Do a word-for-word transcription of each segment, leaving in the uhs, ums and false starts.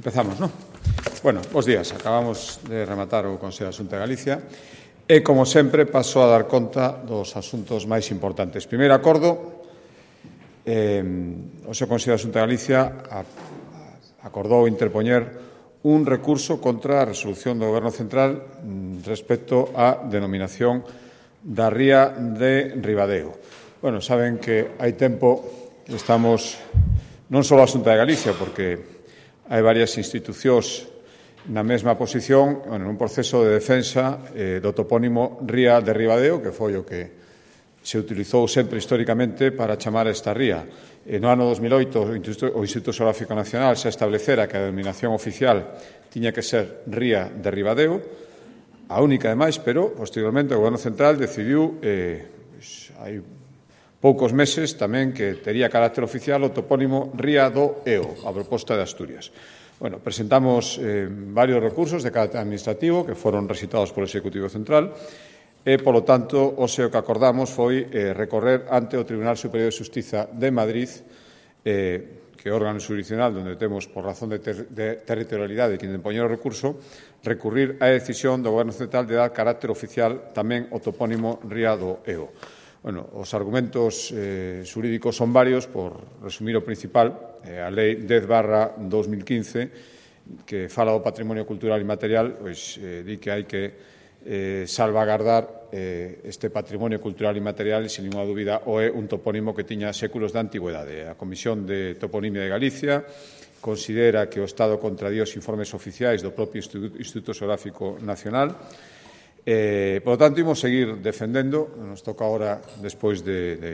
Empezamos, non? Bueno, bos días. Acabamos de rematar o Consello da Xunta de Galicia e, como sempre, paso a dar conta dos asuntos máis importantes. Primeiro acordo, eh, o seu Consello da Xunta de Galicia a, a, acordou interpoñer un recurso contra a resolución do Goberno Central respecto á denominación da ría de Ribadeo. Bueno, saben que hai tempo que estamos non só a Xunta de Galicia, porque hai varias institucións na mesma posición, bueno, nun proceso de defensa eh, do topónimo ría de Ribadeo, que foi o que se utilizou sempre históricamente para chamar a esta ría. E no ano dos mil oito, o Instituto, o Instituto Xeográfico Nacional xa establecera que a denominación oficial tiña que ser ría de Ribadeo, a única demais, pero posteriormente o Goberno Central decidiu, eh, pues, hai poucos meses, tamén que tería carácter oficial o topónimo ría do Eo, a proposta de Asturias. Bueno, presentamos eh, varios recursos de carácter administrativo que foron recitados polo Executivo Central e, polo tanto, o seu que acordamos foi eh, recorrer ante o Tribunal Superior de Xustiza de Madrid, eh, que é o órgano jurisdiccional onde temos, por razón de, ter de territorialidade, que impoñer o recurso, recurrir á decisión do Goberno Central de dar carácter oficial tamén o topónimo ría do Eo. Bueno, os argumentos eh, xurídicos son varios, por resumir o principal, eh, a Lei dez barra dos mil quince, que fala do patrimonio cultural e material, pois eh, di que hai que eh, salvagardar eh, este patrimonio cultural e material e, sin ninguna dúbida, o é un topónimo que tiña séculos de antigüedade. A Comisión de Toponimia de Galicia considera que o Estado contradía os informes oficiais do propio Instituto Xeográfico Nacional. Eh, por lo tanto, imos seguir defendendo, nos toca ahora, despois de, de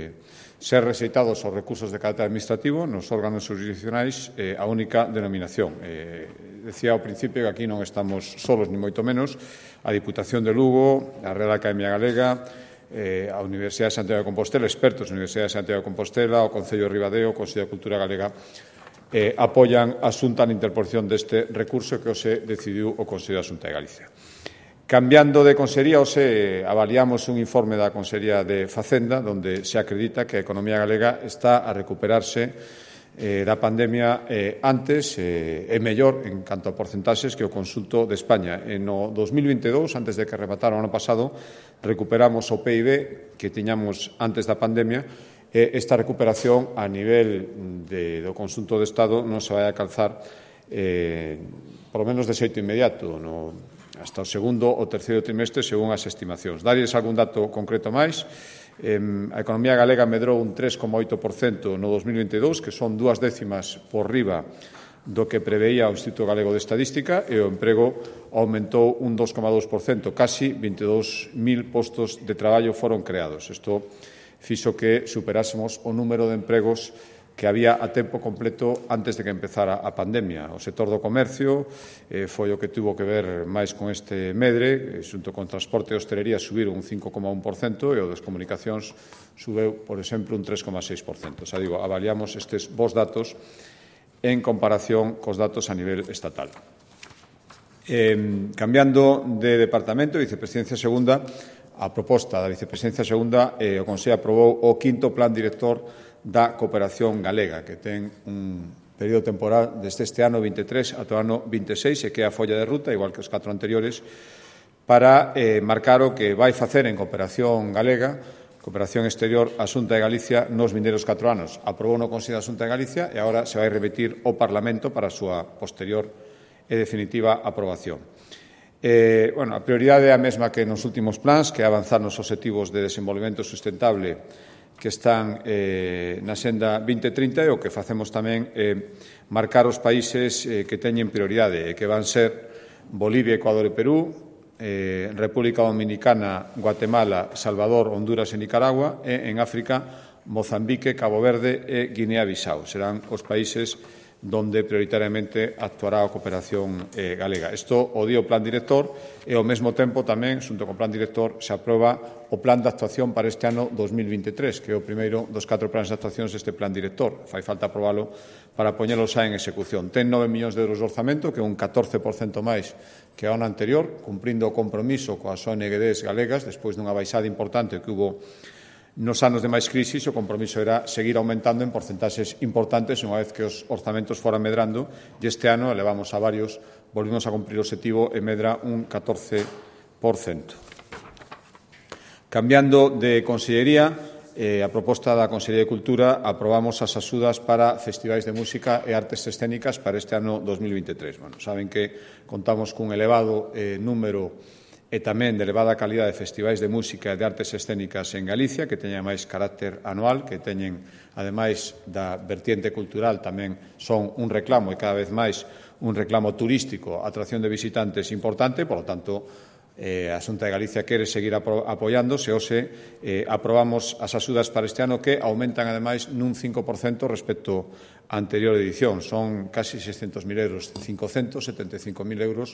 ser rexeitados os recursos de carácter administrativo, nos órganos jurisdiccionais, eh, a única denominación. Eh, decía ao principio que aquí non estamos solos, ni moito menos. A Diputación de Lugo, a Real Academia Galega, eh, a Universidade de Santiago de Compostela, expertos da Universidade de Santiago de Compostela, o Concello de Ribadeo, o Consello de Cultura Galega, eh, apoian a Xunta na interposición deste recurso que hoxe decidiu o Consello da Xunta de Galicia. Cambiando de consellería, hoxe avaliamos un informe da Consellería de Facenda onde se acredita que a economía galega está a recuperarse eh, da pandemia eh, antes eh, e mellor en canto a porcentaxes que o conxunto de España. E no dos mil vinte e dous, antes de que rematara o ano pasado, recuperamos o P I B que tiñamos antes da pandemia e esta recuperación a nivel de, do conxunto do Estado non se vai a calzar eh, por lo menos de xeito inmediato, no hasta o segundo ou terceiro trimestre, según as estimacións. Darles algún dato concreto máis. Eh, a economía galega medrou un tres coma oito por cento no dos mil vinte e dous, que son dúas décimas por riba do que preveía o Instituto Galego de Estadística, e o emprego aumentou un dos coma dous por cento, casi vinte e dous mil postos de traballo foron creados. Isto fixo que superásemos o número de empregos que había a tempo completo antes de que empezara a pandemia. O sector do comercio eh, foi o que tuvo que ver máis con este medre, xunto con transporte e hostelería subiron un cinco coma un por cento e o das comunicacións subeu, por exemplo, un tres coma seis por cento. Xa digo, avaliamos estes bons datos en comparación cos datos a nivel estatal. Eh, cambiando de departamento, Vicepresidencia Segunda, a proposta da Vicepresidencia Segunda, eh, o Consello aprobou o quinto Plan Director da cooperación galega, que ten un período temporal desde este ano vinte e tres ata o ano vinte e seis, e que é a folla de ruta, igual que os catro anteriores, para eh, marcar o que vai facer en cooperación galega, cooperación exterior, a Xunta de Galicia nos vindeiros catro anos. Aprobou no Consello da Xunta de Galicia e agora se vai repetir ao Parlamento para a súa posterior e definitiva aprobación. Eh, bueno, a prioridade é a mesma que nos últimos plans, que é avanzar nos obxectivos de desenvolvemento sustentable que están eh, na Xenda vinte trinta, e o que facemos tamén é eh, marcar os países eh, que teñen prioridade, e que van ser Bolivia, Ecuador e Perú, eh, República Dominicana, Guatemala, Salvador, Honduras e Nicaragua, e en África, Mozambique, Cabo Verde e Guinea-Bissau. Serán os países donde prioritariamente actuará a cooperación eh, galega. Isto o di o Plan Director e, ao mesmo tempo, tamén, xunto co Plan Director, se aproba o Plan de Actuación para este ano dos mil vinte e tres, que é o primeiro dos catro plans de actuacións deste Plan Director. Fai falta aprobalo para poñelo xa en execución. Ten nove millóns de euros de orzamento, que é un catorce por cento máis que a ano anterior, cumprindo o compromiso coas O N G Ds galegas, despois dunha baixada importante que hubo Nos anos de máis crisis, o compromiso era seguir aumentando en porcentaxes importantes unha vez que os orzamentos foran medrando, e este ano elevamos a varios, volvimos a cumprir o obxectivo e medra un catorce por cento. Cambiando de consellería, eh, a proposta da Consellería de Cultura, aprobamos as axudas para festivais de música e artes escénicas para este ano dos mil veintitrés. Bueno, saben que contamos cun elevado eh, número e tamén de elevada calidad de festivais de música e de artes escénicas en Galicia, que teñen máis carácter anual, que teñen, ademais da vertiente cultural, tamén son un reclamo e cada vez máis un reclamo turístico, atracción de visitantes importante, por lo tanto, eh, a Xunta de Galicia quere seguir apo apoiándose, ou se eh, aprobamos as axudas para este ano que aumentan, ademais, nun cinco por cento respecto á anterior edición. Son casi seiscentos mil euros, cincocentos setenta e cinco mil euros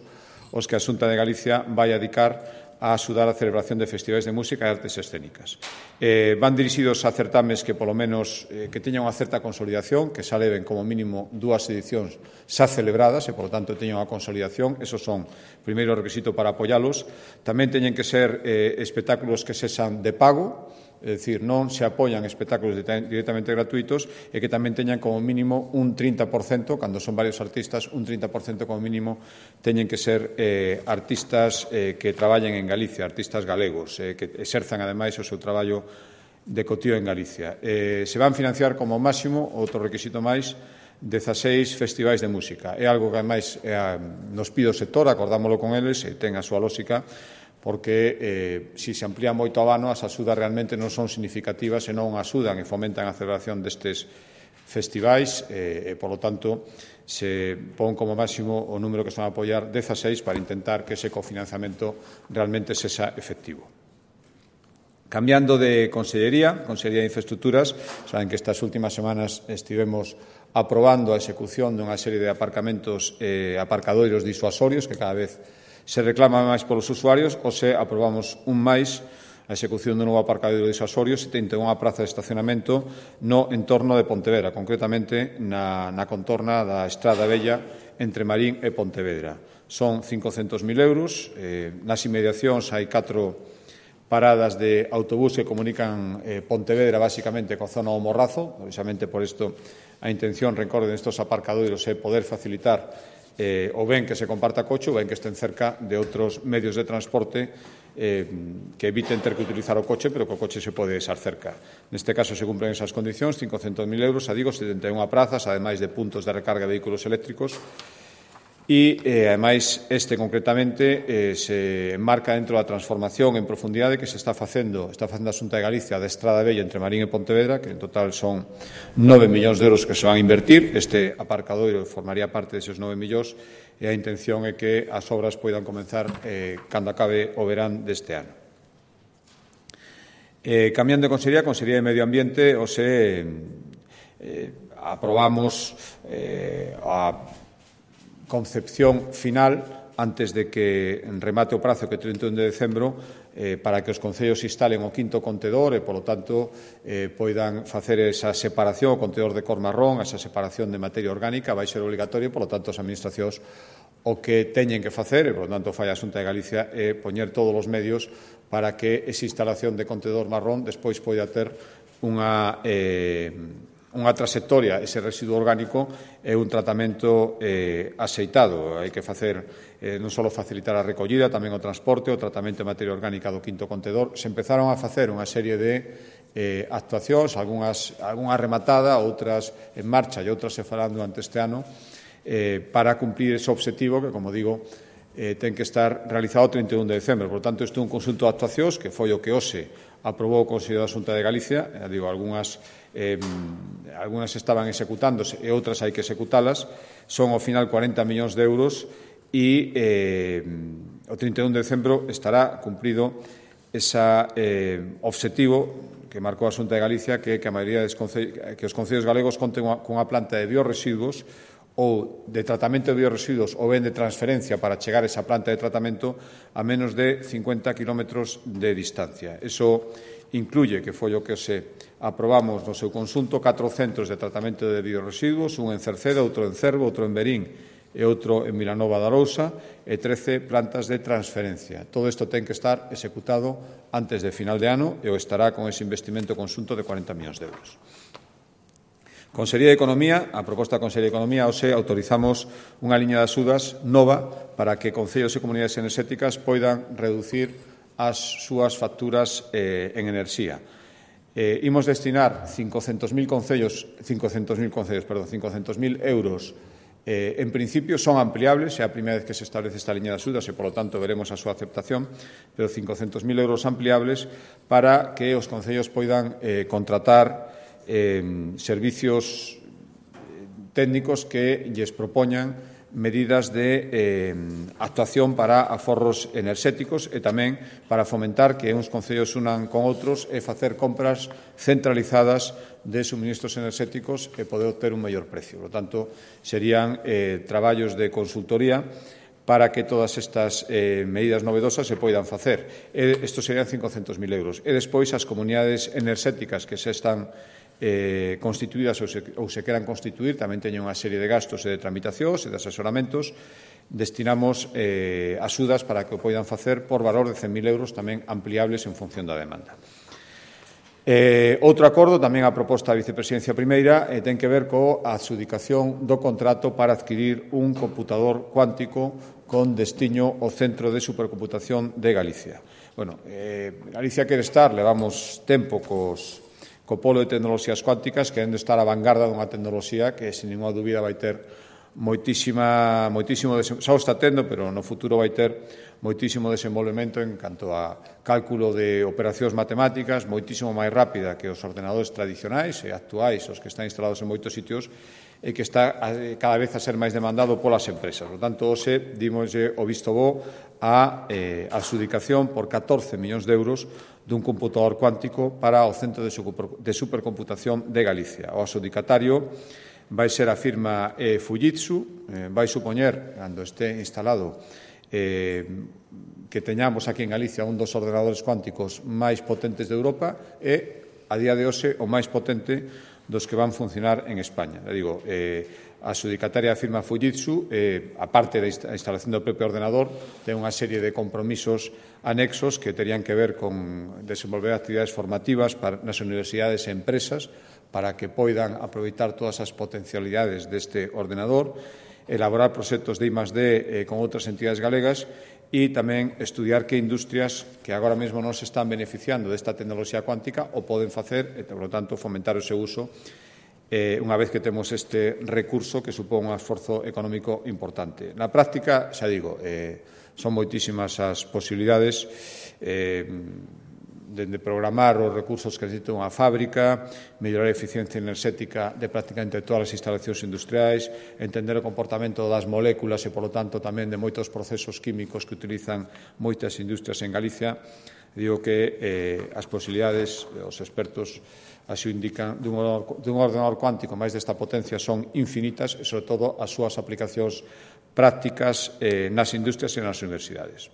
os que a Xunta de Galicia vai a dedicar a axudar a celebración de festivais de música e artes escénicas. Eh, van dirixidos a certames que, polo menos, eh, que teñan unha certa consolidación, que xa leven como mínimo dúas edicións xa celebradas e, por lo tanto, teñan unha consolidación. Esos son, primeiro, requisito para apoialos. Tamén teñen que ser eh, espectáculos que sexan de pago, é dicir, non se apoian espectáculos directamente gratuitos e que tamén teñan como mínimo un trinta por cento, cando son varios artistas, un trinta por cento como mínimo teñen que ser eh, artistas eh, que traballen en Galicia, artistas galegos, eh, que exerzan ademais o seu traballo de cotío en Galicia. Eh, se van financiar como máximo, outro requisito máis, dezaseis festivais de música. É algo que ademais eh, nos pide o sector, acordámoslo con eles, e ten a súa lógica, porque eh, se se amplía moito a vano, as axudas realmente non son significativas e non axudan e fomentan a celebración destes festivais eh, e, polo tanto, se pon como máximo o número que se van a apoiar dezaseis para intentar que ese cofinanciamento realmente sexa efectivo. Cambiando de consellería, Consellería de Infraestructuras, saben que estas últimas semanas estivemos aprobando a execución dunha serie de aparcamentos e eh, aparcadoiros disuasorios que cada vez se reclama máis polos usuarios, ou se aprobamos un máis a execución do novo aparcadoiro disuasorio, setenta e unha praza de estacionamento no entorno de Pontevedra, concretamente na, na contorna da Estrada Vella entre Marín e Pontevedra. Son cincocentos mil euros, eh, nas inmediacións hai catro paradas de autobús que comunican eh, Pontevedra basicamente coa zona do Morrazo, precisamente por isto a intención, recorden, estos aparcadoiros é poder facilitar Eh, ou ben que se comparta coche ou ben que estén cerca de outros medios de transporte eh, que eviten ter que utilizar o coche, pero que o coche se pode estar cerca. Neste caso se cumplen esas condicións, cincocentos mil euros, a digo, setenta e unha prazas, ademais de puntos de recarga de vehículos eléctricos, e, eh, ademais, este concretamente eh, se enmarca dentro da transformación en profundidade que se está facendo, está facendo a Xunta de Galicia da Estrada Vella entre Marín e Pontevedra, que en total son nove millóns de euros que se van a invertir. Este aparcadoiro formaría parte deses nove millóns e a intención é que as obras poidan comenzar eh, cando acabe o verán deste ano. Eh, cambiando de consellería, Consellería de Medio Ambiente, o se eh, aprobamos eh, a concepción final antes de que remate o prazo que é trinta e un de decembro eh, para que os concellos instalen o quinto contedor e, polo tanto, eh, poidan facer esa separación, o contedor de cor marrón, esa separación de materia orgánica vai ser obligatorio, polo tanto, as administracións o que teñen que facer, e, polo tanto, fai a Xunta de Galicia, é poñer todos os medios para que esa instalación de contedor marrón despois poida ter unha eh, unha trayectoria, ese residuo orgánico é un tratamento eh, axeitado. Hai que facer eh, non só facilitar a recollida, tamén o transporte, o tratamento de materia orgánica do quinto contedor. Se empezaron a facer unha serie de eh, actuacións, algunhas, algunha rematada, outras en marcha e outras se farán durante este ano, eh, para cumplir ese obxectivo que, como digo, eh, ten que estar realizado o trinta e un de decembro. Por tanto, isto é un conxunto de actuacións que foi o que hoxe aprobou o Consello da Xunta de Galicia. Eh, digo, algunhas Eh, algunhas estaban executándose e outras hai que executalas, son ao final cuarenta millóns de euros e eh, o trinta e un de decembro estará cumprido ese eh, obxectivo que marcou a Xunta de Galicia, que, que, a maioría des concellos, que os concellos galegos conten cunha planta de biorresiduos ou de tratamento de biorresiduos ou ben de transferencia para chegar a esa planta de tratamento a menos de cincuenta kilómetros de distancia. Eso incluye, que foi o que se aprobamos no seu conxunto, catro centros de tratamento de biorresiduos, un en Cerceda, outro en Cervo, outro en Verín e outro en Vilanova de Arousa, e trece plantas de transferencia. Todo isto ten que estar executado antes de final de ano e o estará con ese investimento conxunto de cuarenta millóns de euros. Consellería de Economía, a proposta da Consellería de Economía, hoxe autorizamos unha liña de axudas nova para que concellos e comunidades enerxéticas poidan reducir as súas facturas eh, en enerxía. Eh, imos destinar cincocentos mil concellos, cincocentos mil concellos, perdón, cincocentos mil euros. Eh, en principio son ampliables, é a primeira vez que se establece esta liña de axudas e, polo tanto, veremos a súa aceptación, pero cincocentos mil euros ampliables para que os concellos poidan eh, contratar eh, servicios técnicos que lles propoñan medidas de eh, actuación para aforros enerxéticos e tamén para fomentar que uns concellos unan con outros e facer compras centralizadas de suministros enerxéticos e poder obter un mellor precio. Por lo tanto, serían eh, traballos de consultoría para que todas estas eh, medidas novedosas se poidan facer. E, estos serían cincocentos mil euros. E despois, as comunidades enerxéticas que se están Eh, constituídas ou se, ou se queran constituir, tamén teñen unha serie de gastos e de tramitacións e de asesoramentos. Destinamos eh, axudas para que o poidan facer por valor de cen mil euros, tamén ampliables en función da demanda. Eh, outro acordo, tamén a proposta da Vicepresidencia Primeira, eh, ten que ver coa adxudicación do contrato para adquirir un computador cuántico con destiño ao Centro de Supercomputación de Galicia. Bueno, eh, Galicia quere estar, levamos tempo cos co polo de tecnoloxías cuánticas, querendo estar á vanguarda dunha tecnoloxía que, sin ninguna dúbida, vai ter moitísima, moitísimo, xa o está tendo, pero no futuro vai ter moitísimo desenvolvemento en canto a cálculo de operacións matemáticas, moitísimo máis rápida que os ordenadores tradicionais e actuais, os que están instalados en moitos sitios, e que está cada vez a ser máis demandado polas empresas. Por tanto, hoxe dimoslle o visto bo a eh, adxudicación por catorce millóns de euros dun computador cuántico para o Centro de Supercomputación de Galicia. O adxudicatario vai ser a firma eh, Fujitsu, eh, vai supoñer, cando este instalado, eh, que teñamos aquí en Galicia un dos ordenadores cuánticos máis potentes de Europa e, a día de hoxe, o máis potente dos que van funcionar en España. Le digo, eh, a adxudicataria da firma Fujitsu, eh, aparte da instalación do propio ordenador, ten unha serie de compromisos anexos que terían que ver con desenvolver actividades formativas para, nas universidades e empresas para que poidan aproveitar todas as potencialidades deste ordenador, elaborar proxectos de I más D eh, con outras entidades galegas e tamén estudiar que industrias que agora mesmo non se están beneficiando desta tecnoloxía cuántica o poden facer e, por lo tanto, fomentar o seu uso eh, unha vez que temos este recurso que supón un esforzo económico importante. Na práctica, xa digo, eh, son moitísimas as posibilidades eh, dende programar os recursos que necesita unha fábrica, mellorar a eficiencia enerxética de prácticamente todas as instalacións industriais, entender o comportamento das moléculas e, polo tanto, tamén de moitos procesos químicos que utilizan moitas industrias en Galicia. Digo que eh, as posibilidades, os expertos así o indican, dun ordenador, dun ordenador cuántico máis desta potencia son infinitas e, sobre todo, as súas aplicacións prácticas eh, nas industrias e nas universidades.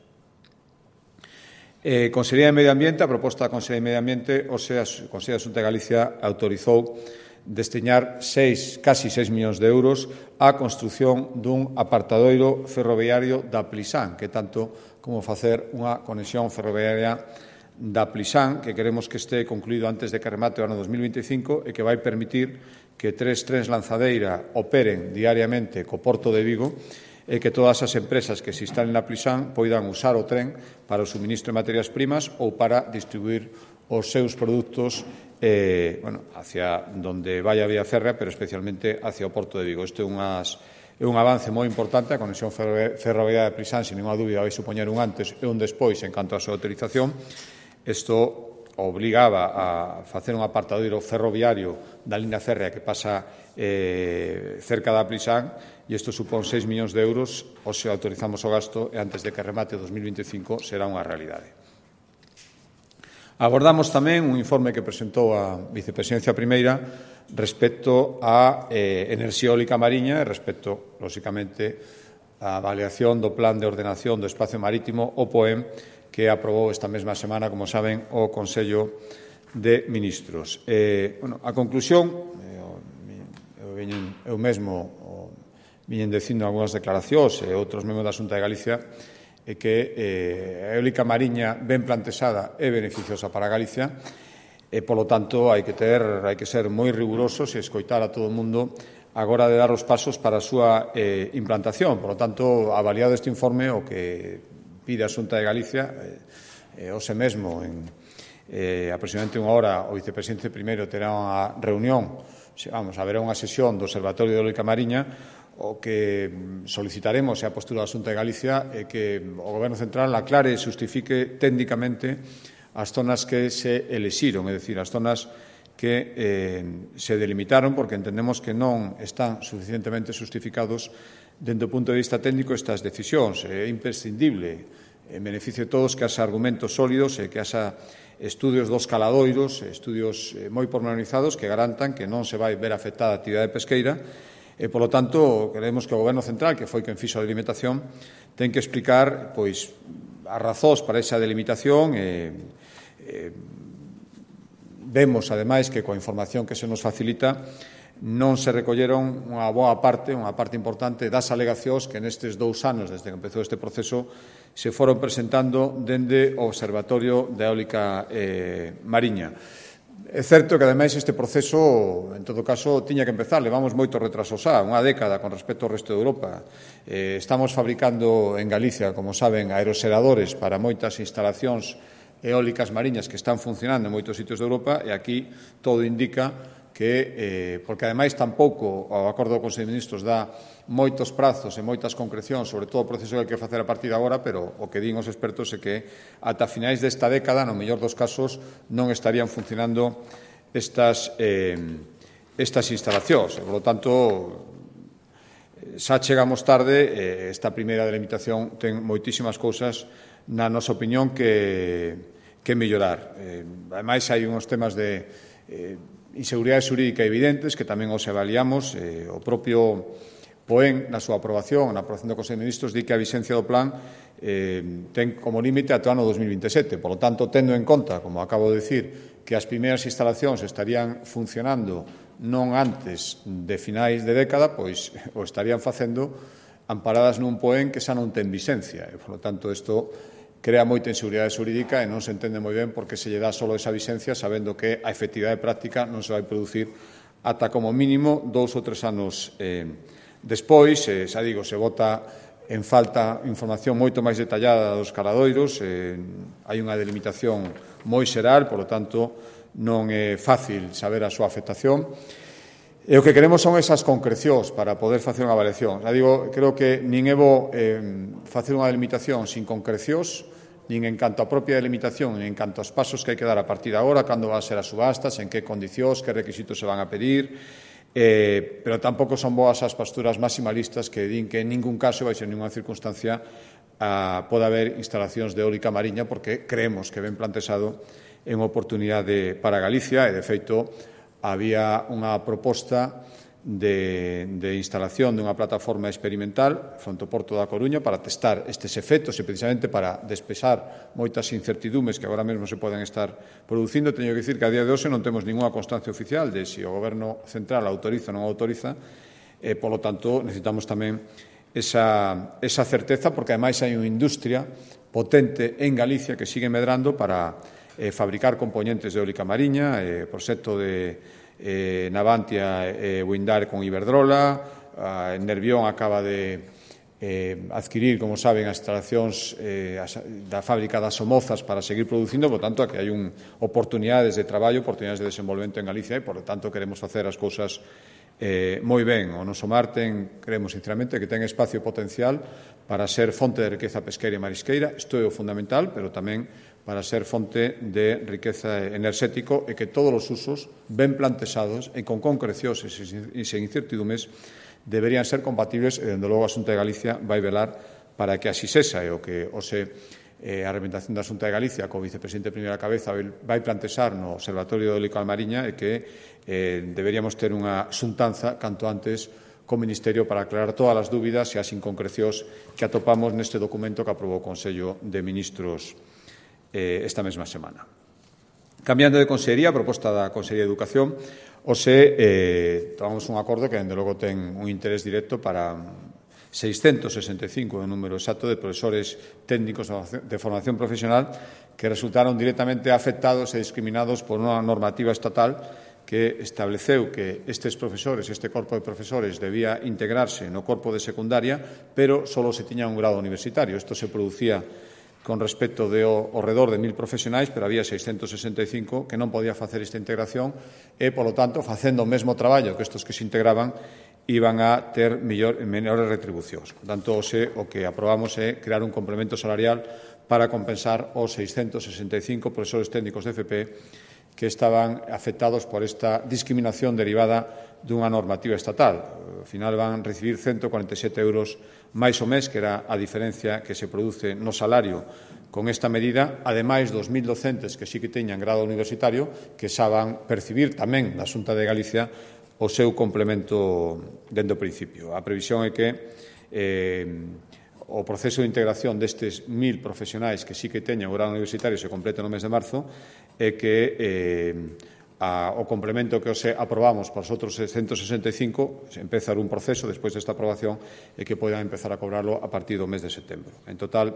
Eh, Consellería de Medio Ambiente, a proposta da Consellería de Medio Ambiente, o sea, a Consellería de Xunta de Galicia autorizou destiñar seis, casi seis millóns de euros á construción dun apartadoiro ferroviario da Plisán, que tanto como facer unha conexión ferroviaria da Plisán, que queremos que este concluído antes de que remate o ano dos mil vinte e cinco e que vai permitir que tres trens lanzadeira operen diariamente co Porto de Vigo e que todas as empresas que se instalen na Plisán poidan usar o tren para o suministro de materias primas ou para distribuir os seus produtos eh, bueno, hacia donde vai a vía férrea, pero especialmente hacia o Porto de Vigo. Isto é, unhas, é un avance moi importante. A conexión ferroviaria de Plisán, sin ninguna dúbida, vai supoñer un antes e un despois en canto á súa autorización. Isto obligaba a facer un apartadoiro ferroviario da línea férrea que pasa eh, cerca da Plisán, e isto supón seis millóns de euros, ou se autorizamos o gasto, e antes de que remate o dos mil vinte e cinco será unha realidade. Abordamos tamén un informe que presentou a Vicepresidencia Primeira respecto á eh, enerxía eólica mariña e respecto, lóxicamente, á avaliación do Plan de Ordenación do Espacio Marítimo, o POEM, que aprobou esta mesma semana, como saben, o Consello de Ministros. Eh, bueno, a conclusión, eu, eu mesmo viñen dicindo algunhas declaracións e outros membros da Xunta de Galicia é que eh, a eólica mariña ben plantexada é beneficiosa para Galicia e, polo tanto, hai que ter, hai que ser moi rigurosos e escoitar a todo o mundo agora de dar os pasos para a súa eh, implantación. Por lo tanto, avaliado este informe, o que pide a Xunta de Galicia, eh, hoxe mesmo, en eh, aproximadamente unha hora, o vicepresidente primeiro terá unha reunión, vamos, haberá unha sesión do Observatorio de Eólica Mariña. O que solicitaremos e a postura da Xunta de Galicia é que o Goberno Central aclare e justifique técnicamente as zonas que se elixiron, é dicir, as zonas que eh, se delimitaron porque entendemos que non están suficientemente justificados dende o punto de vista técnico estas decisións. É imprescindible, en beneficio de todos, que haxa argumentos sólidos e que haxa estudios dos caladoiros, estudios moi pormenorizados que garantan que non se vai ver afectada a actividade pesqueira e, polo tanto, queremos que o Goberno Central, que foi quen fixo a delimitación, ten que explicar pois as razóns para esa delimitación e, e vemos, ademais, que coa información que se nos facilita non se recolleron unha boa parte, unha parte importante das alegacións que nestes dous anos, desde que empezou este proceso, se foron presentando dende o Observatorio da Eólica eh, Mariña. É certo que, ademais, este proceso, en todo caso, tiña que empezar. Levamos moito retraso xa, unha década con respecto ao resto de Europa. Eh, estamos fabricando en Galicia, como saben, aeroseradores para moitas instalacións eólicas mariñas que están funcionando en moitos sitios de Europa e aquí todo indica que, eh, porque ademais tampouco o acordo do Consello de Ministros dá moitos prazos e moitas concrecións sobre todo o proceso que hai que facer a partir de agora, pero o que din os expertos é que ata finais desta década, no mellor dos casos, non estarían funcionando estas, eh, estas instalacións. E, por lo tanto, xa chegamos tarde, eh, esta primeira delimitación ten moitísimas cousas, na nosa opinión, que que mellorar. Eh, ademais, hai uns temas de eh, inseguridade xurídica evidentes que tamén os avaliamos. Eh, o propio POEN, na súa aprobación, na aprobación do Consello de Ministros, di que a vixencia do plan eh, ten como límite ata o ano dos mil vintesete. Por lo tanto, tendo en conta, como acabo de dicir, que as primeiras instalacións estarían funcionando non antes de finais de década, pois o estarían facendo amparadas nun POEN que xa non ten vixencia. E, por lo tanto, isto crea moita inseguridade xurídica e non se entende moi ben porque se lle dá só esa vixencia sabendo que a efectividade práctica non se vai producir ata como mínimo dous ou tres anos eh, despois. Eh, xa digo, se vota en falta información moito máis detallada dos caladoiros, eh, hai unha delimitación moi xeral, por lo tanto non é fácil saber a súa afectación. E o que queremos son esas concrecións para poder facer unha avaliación. Já digo, creo que nin é bo eh, facer unha delimitación sin concrecións, nin en canto á propia delimitación, nin en canto aos pasos que hai que dar a partir de agora, cando van a ser as subastas, en que condicións, que requisitos se van a pedir, eh, pero tampouco son boas as posturas maximalistas que din que en ningún caso vai ser ninguna circunstancia a, pode haber instalacións de eólica mariña, porque creemos que ben plantexado en oportunidade para Galicia e, de feito, había unha proposta de, de instalación dunha plataforma experimental fronte ao Porto da Coruña para testar estes efectos e precisamente para despexar moitas incertidumes que agora mesmo se poden estar producindo. Teño que dicir que a día de hoxe non temos ninguna constancia oficial de se o Goberno Central autoriza ou non autoriza e, polo tanto, necesitamos tamén esa, esa certeza porque, ademais, hai unha industria potente en Galicia que sigue medrando para eh, fabricar componentes de eólica mariña, eh, proxecto de Eh, Navantia e eh, Windar con Iberdrola, eh, Nervión acaba de eh, adquirir, como saben, as instalacións eh, as, da fábrica das Somozas para seguir producindo, por tanto, que hai un, oportunidades de traballo, oportunidades de desenvolvemento en Galicia e, por tanto, queremos facer as cousas eh, moi ben. O noso mar ten, creemos sinceramente, que ten espacio potencial para ser fonte de riqueza pesqueira e marisqueira. Isto é o fundamental, pero tamén para ser fonte de riqueza enerxético e que todos os usos ben plantexados e con concrecións e sen incertidumes deberían ser compatibles e, dende logo, a Xunta de Galicia vai velar para que así sexa e o que ose eh, a representación da Xunta de Galicia co vicepresidente primeira cabeza vai plantexar no Observatorio de Eólica Mariña e que eh, deberíamos ter unha xuntanza canto antes co Ministerio para aclarar todas as dúbidas e as inconcrecións que atopamos neste documento que aprobou o Consello de Ministros esta mesma semana. Cambiando de consellería, a proposta da Consellería de Educación, hoxe eh, tomamos un acordo que, dende logo, ten un interés directo para seiscentos sesenta e cinco en número exacto de profesores técnicos de formación profesional que resultaron directamente afectados e discriminados por unha normativa estatal que estableceu que estes profesores, este corpo de profesores, debía integrarse no corpo de secundaria, pero só se tiña un grado universitario. Isto se producía con respecto de ao redor de mil profesionais, pero había seiscentos sesenta e cinco que non podía facer esta integración e, polo tanto, facendo o mesmo traballo que estes que se integraban, iban a ter mellor, menores retribucións. Por tanto, o que aprobamos é crear un complemento salarial para compensar os seiscentos sesenta e cinco profesores técnicos de F P que estaban afectados por esta discriminación derivada dunha normativa estatal. Ao final van recibir ciento cuarenta e sete euros máis o mes, que era a diferencia que se produce no salario con esta medida, ademais dos mil docentes que sí que teñan grado universitario, que xa van percibir tamén na Xunta de Galicia o seu complemento dende o principio. A previsión é que eh, o proceso de integración destes mil profesionais que sí que teñan o grado universitario se complete no mes de marzo e que eh, a, o complemento que os aprobamos para os outros seiscentos sesenta e cinco se empezar un proceso despois desta aprobación e que poidan empezar a cobrarlo a partir do mes de setembro. En total,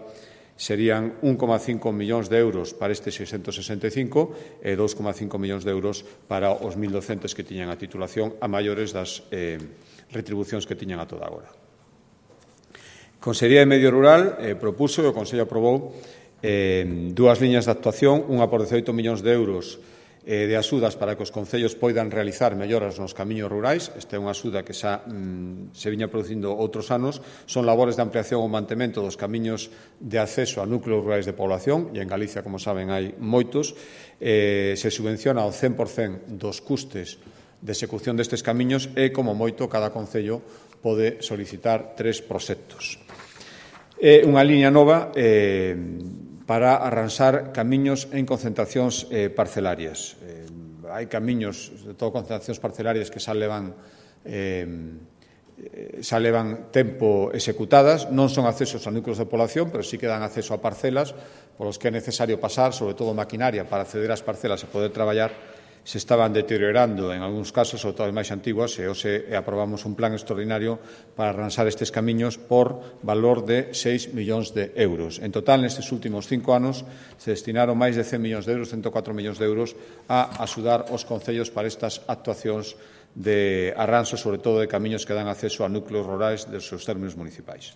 serían un coma cinco millóns de euros para estes seiscentos sesenta e cinco e dous coma cinco millóns de euros para os mil docentes que tiñan a titulación a maiores das eh, retribucións que tiñan a toda agora. Consellería de Medio Rural eh, propuso e o Consello aprobou eh, dúas liñas de actuación, unha por dezaoito millóns de euros eh, de axudas para que os concellos poidan realizar melloras nos camiños rurais. Esta é unha axuda que xa mm, se viña producindo outros anos. Son labores de ampliación ou mantemento dos camiños de acceso a núcleos rurais de población, e en Galicia, como saben, hai moitos. Eh, se subvenciona o cen por cen dos custes de execución destes camiños e, como moito, cada concello pode solicitar tres proxectos. É unha liña nova eh, para arranxar camiños en concentracións eh, parcelarias. Eh, hai camiños, de todo concentracións parcelarias, que xa levan, eh, xa levan tempo executadas, non son accesos a núcleos de población, pero sí que dan acceso a parcelas polos que é necesario pasar, sobre todo maquinaria, para acceder ás parcelas e poder traballar. Se estaban deteriorando en algúns casos, sobre todo as máis antiguas, e hoxe aprobamos un plan extraordinario para arranxar estes camiños por valor de seis millóns de euros. En total, nestes últimos cinco anos, se destinaron máis de cen millóns de euros, ciento catro millóns de euros, a axudar os concellos para estas actuacións de arranxo, sobre todo de camiños que dan acceso a núcleos rurais dos seus términos municipais.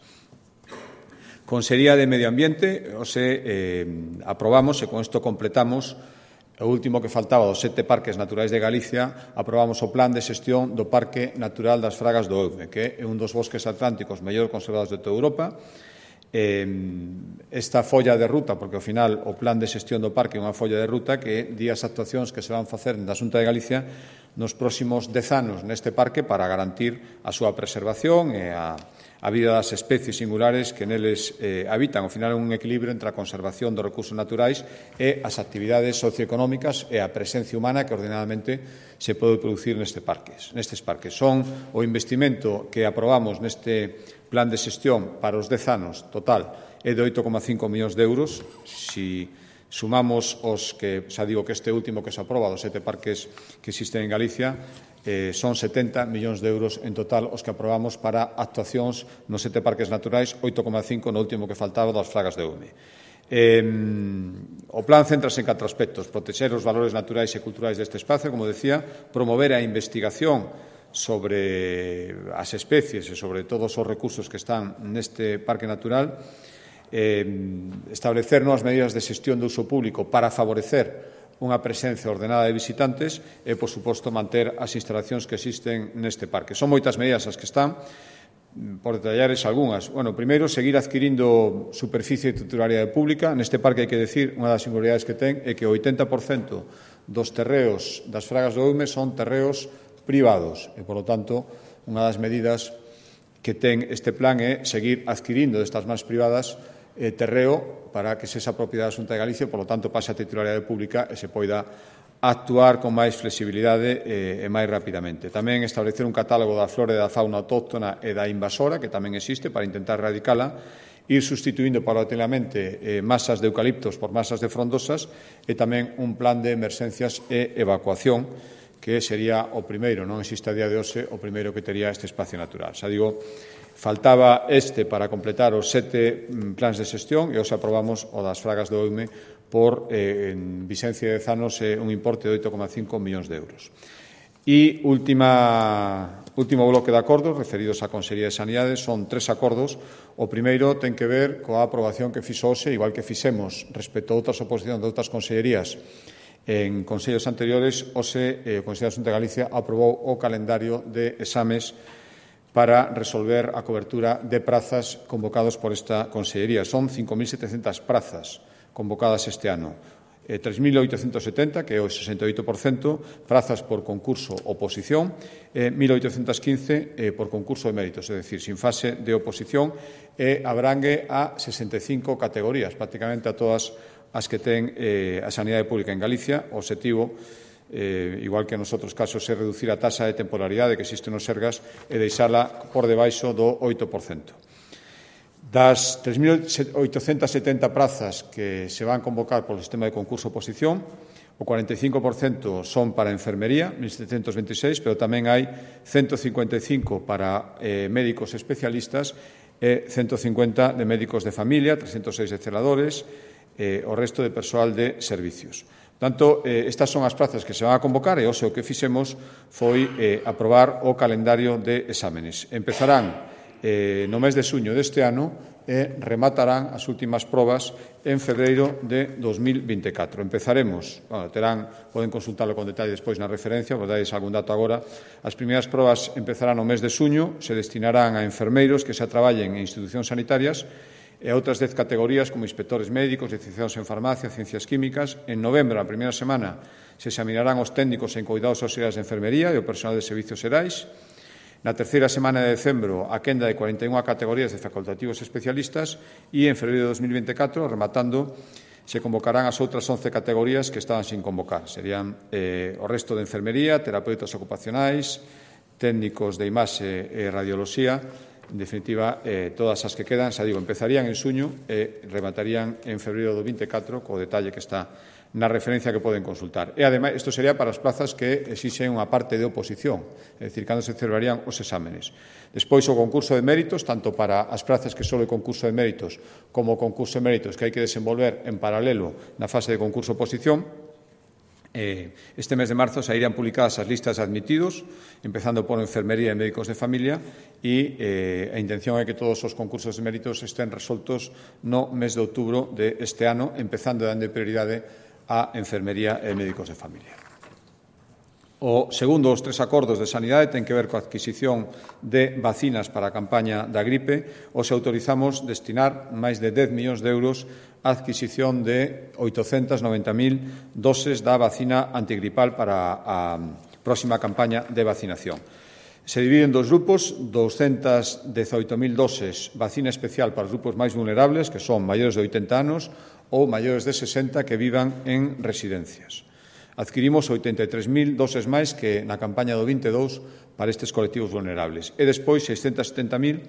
Consellería de Medio Ambiente, hoxe eh, aprobamos, e con isto completamos o último que faltaba dos sete parques naturais de Galicia. Aprobamos o plan de xestión do Parque Natural das Fragas do Eume, que é un dos bosques atlánticos mellor conservados de toda Europa. Esta folla de ruta, porque ao final o plan de xestión do parque é unha folla de ruta que di as actuacións que se van facer na Xunta de Galicia nos próximos dez anos neste parque para garantir a súa preservación e a a vida das especies singulares que neles eh, habitan. Ao final é un equilibrio entre a conservación dos recursos naturais e as actividades socioeconómicas e a presencia humana que ordenadamente se pode producir neste parques, nestes parques. Son o investimento que aprobamos neste plan de xestión para os dez anos total é de oito coma cinco millóns de euros. Si sumamos os que, xa digo que este último que se aproba dos sete parques que existen en Galicia, Eh, son setenta millóns de euros en total os que aprobamos para actuacións nos sete parques naturais, oito coma cinco no último que faltaba das Fragas de Eume. Eh, o plan céntrase en catro aspectos: protexer os valores naturais e culturais deste espacio, como decía, promover a investigación sobre as especies e sobre todos os recursos que están neste parque natural, eh, establecer novas medidas de xestión de uso público para favorecer unha presencia ordenada de visitantes e, por suposto, manter as instalacións que existen neste parque. Son moitas medidas as que están, por detallares algunhas. Bueno, primeiro, seguir adquirindo superficie de titularidade pública. Neste parque, hai que decir, unha das singularidades que ten é que o oitenta por cento dos terreos das Fragas do Eume son terreos privados e, por lo tanto, unha das medidas que ten este plan é seguir adquirindo destas máis privadas eh, terreo para que se esa propiedade da Xunta de Galicia, por lo tanto, pase a titularidade pública e se poida actuar con máis flexibilidade e, e máis rapidamente. Tamén establecer un catálogo da flora e da fauna autóctona e da invasora, que tamén existe, para intentar erradicala, ir sustituindo paulatinamente eh, masas de eucaliptos por masas de frondosas e tamén un plan de emerxencias e evacuación que sería o primeiro, non existe a día de hoxe, o primeiro que tería este espacio natural. Xa digo, faltaba este para completar os sete plans de xestión e hoxe aprobamos o das Fragas do Eume por, eh, en Vicencia de Zanos, eh, un importe de oito coma cinco millóns de euros. E última, último bloque de acordos referidos á Consellería de Sanidade son tres acordos. O primeiro ten que ver coa aprobación que fixo hoxe, igual que fixemos respecto a outras oposicións de outras consellerías en consellos anteriores. Hoxe eh, o Consello da Xunta de Galicia aprobou o calendario de exames para resolver a cobertura de prazas convocados por esta consellería. Son cinco mil setecentas prazas convocadas este ano. Eh, tres mil oitocentos setenta, que é o sesenta e oito por cento, prazas por concurso oposición, e eh, mil oitocentos quince eh, por concurso de méritos, é dicir, sin fase de oposición, e abrangue a sesenta e cinco categorías, prácticamente a todas as que ten eh, a sanidade pública en Galicia. O obxectivo, eh, igual que nos outros casos, é reducir a taxa de temporalidade que existe nos Sergas e deixala por debaixo do oito por cento. Das tres mil oitocentas setenta prazas que se van convocar polo sistema de concurso-oposición, o cuarenta e cinco por cento son para enfermería, mil setecentos veintiséis, pero tamén hai ciento cincuenta e cinco para eh, médicos especialistas e ciento cincuenta de médicos de familia, trescentos seis de celadores, eh, o resto de persoal de servicios. Tanto, eh, estas son as prazas que se van a convocar e hoxe o que fixemos foi eh, aprobar o calendario de exámenes. Empezarán eh, no mes de xuño deste ano e rematarán as últimas probas en febreiro de dos mil vinte e catro. Empezaremos, bueno, terán, poden consultarlo con detalle despois na referencia, vos dais algún dato agora. As primeiras probas empezarán no mes de xuño, se destinarán a enfermeiros que xa traballen en institucións sanitarias e a outras dez categorías como inspectores médicos, licenciados en farmacia, ciencias químicas. En novembro, a primeira semana, se examinarán os técnicos en cuidados auxiliares de enfermería e o personal de servicios xerais. Na terceira semana de decembro, a quenda de cuarenta e unha categorías de facultativos especialistas e en febreiro de dos mil vinte e catro, rematando, se convocarán as outras once categorías que estaban sin convocar. Serían eh, o resto de enfermería, terapeutas ocupacionais, técnicos de imaxe e radioloxía. En definitiva, eh, todas as que quedan, xa digo, empezarían en xuño e rematarían en febreiro do vinte e catro, co detalle que está na referencia que poden consultar. E, ademais, isto sería para as plazas que exixen unha parte de oposición, é dicir, cando se celebrarían os exámenes. Despois, o concurso de méritos, tanto para as plazas que só é concurso de méritos como o concurso de méritos que hai que desenvolver en paralelo na fase de concurso-oposición. Eh, este mes de marzo sairían publicadas as listas de admitidos, empezando por enfermería e médicos de familia, e eh, a intención é que todos os concursos de méritos estén resoltos no mes de outubro deste ano, empezando dando prioridade a enfermería e médicos de familia. O segundo dos tres acordos de sanidade ten que ver coa adquisición de vacinas para a campaña da gripe. Os autorizamos destinar máis de dez millóns de euros á adquisición de oitocentas noventa mil doses da vacina antigripal para a próxima campaña de vacinación. Se divide en dos grupos, doscientas dezoito mil doses vacina especial para os grupos máis vulnerables, que son maiores de oitenta anos ou maiores de sesenta que vivan en residencias. Adquirimos oitenta e tres mil doses máis que na campaña do vinte e dous para estes colectivos vulnerables. E despois seiscentas setenta mil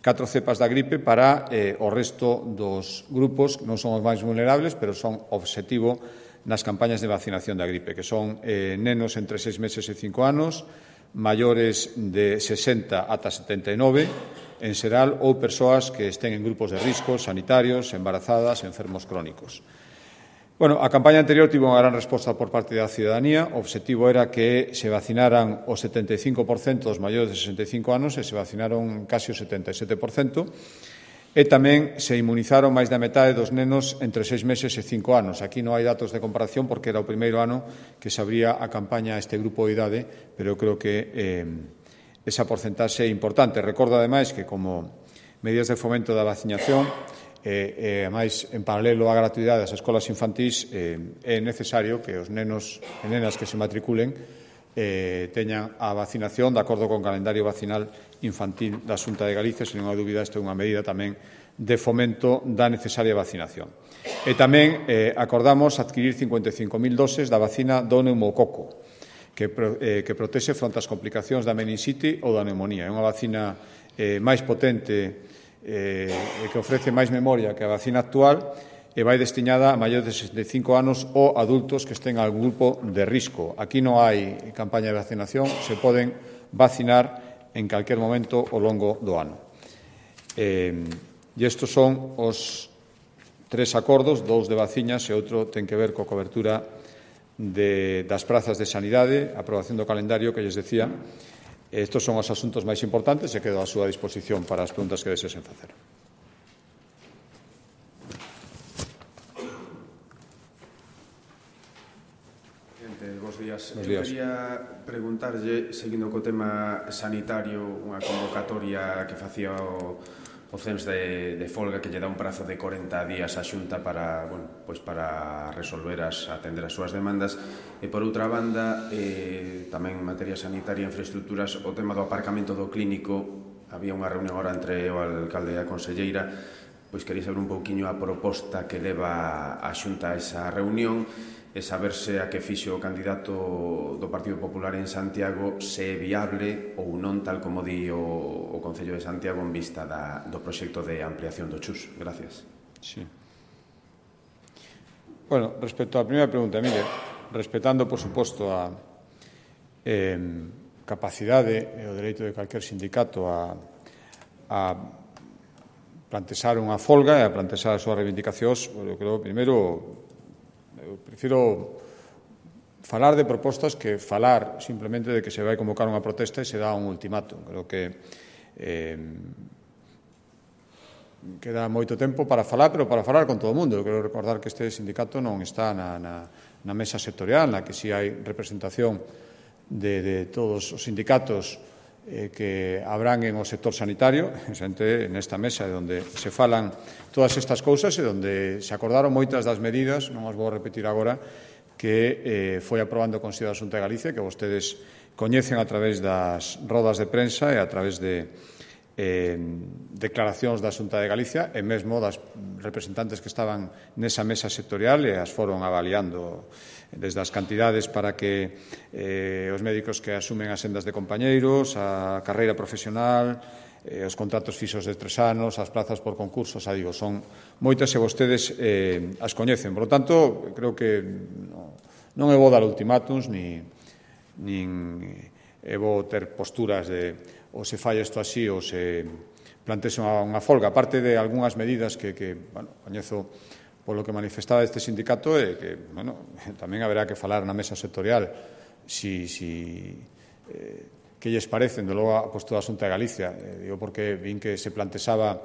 catro cepas da gripe para eh, o resto dos grupos, que non son os máis vulnerables, pero son obxectivo nas campañas de vacinación da gripe, que son eh, nenos entre seis meses e cinco anos, maiores de sesenta ata setenta e nove, en xeral, ou persoas que estén en grupos de risco, sanitarios, embarazadas, enfermos crónicos. Bueno, a campaña anterior tivo unha gran resposta por parte da cidadanía. O obxectivo era que se vacinaran o setenta e cinco por cento dos maiores de sesenta e cinco anos e se vacinaron casi o setenta e sete por cento. E tamén se inmunizaron máis da metade dos nenos entre seis meses e cinco anos. Aquí non hai datos de comparación porque era o primeiro ano que se abría a campaña a este grupo de idade, pero eu creo que eh, esa porcentaxe é importante. Recordo, ademais, que como medidas de fomento da vacinación, e, e, ademais, en paralelo á gratuidade das escolas infantís, eh, é necesario que os nenos e nenas que se matriculen eh, teñan a vacinación de acordo con o calendario vacinal infantil da Xunta de Galicia. Sen ninguna dúbida, esta é unha medida tamén de fomento da necesaria vacinación. E tamén eh, acordamos adquirir cincuenta e cinco mil doses da vacina do neumococo, que, eh, que protexe fronte ás complicacións da meninxite ou da neumonía. É unha vacina eh, máis potente, eh, que ofrece máis memoria que a vacina actual, e vai destiñada a maiores de sesenta e cinco anos ou adultos que estén en algún grupo de risco. Aquí non hai campaña de vacinación, se poden vacinar en calquer momento ao longo do ano. Eh, e estes son os tres acordos, dous de vacinas e outro ten que ver coa cobertura de, das prazas de sanidade, a aprobación do calendario que lles decía. Estes son os asuntos máis importantes e quedo á súa disposición para as preguntas que desesen facer. Bos días. Bos Eu días. quería preguntarlle, seguindo co tema sanitario, unha convocatoria que facía o, o C E M S de, de folga que lle dá un prazo de corenta días á Xunta para, bueno, pois para resolver as, atender as súas demandas. E, por outra banda, eh, tamén en materia sanitaria e infraestructuras, o tema do aparcamento do clínico. Había unha reunión agora entre o alcalde e a conselleira. Pois quería saber un pouquiño a proposta que leva a Xunta a esa reunión e saber se a que fixo o candidato do Partido Popular en Santiago se é viable ou non, tal como di o, o Concello de Santiago en vista da, do proxecto de ampliación do Chus. Gracias. Sí. Bueno, respecto á primeira pregunta, mire, respetando, por suposto, a eh, capacidade e o dereito de calquer sindicato a, a plantexar unha folga e a plantexar as súas reivindicacións, eu creo, primeiro, eu prefiro falar de propostas que falar simplemente de que se vai convocar unha protesta e se dá un ultimátum. Creo que eh, queda moito tempo para falar, pero para falar con todo o mundo. Eu quero recordar que este sindicato non está na, na, na mesa sectorial, na que si hai representación de, de todos os sindicatos eh, que habrán en o sector sanitario, xente nesta mesa onde se falan todas estas cousas e onde se acordaron moitas das medidas, non as vou repetir agora, que eh, foi aprobando o Consello da Xunta de Galicia, que vostedes coñecen a través das rodas de prensa e a través de eh, declaracións da Xunta de Galicia e mesmo das representantes que estaban nesa mesa sectorial e as foron avaliando desde as cantidades para que eh, os médicos que asumen as sendas de compañeiros, a carreira profesional, eh, os contratos fixos de tres anos, as plazas por concursos, xa digo, son moitas e vostedes eh, as coñecen. Por lo tanto, creo que no, non é bo dar ultimátums, ni, nin é bo ter posturas de ou se falla isto así ou se plantexa unha, unha folga. A parte de algunhas medidas que, que bueno, coñezo polo que manifestaba este sindicato e que, bueno, tamén haberá que falar na mesa sectorial si, si eh, que lles parecen, de logo a postura da Xunta de Galicia. Eh, digo porque vin que se plantexaba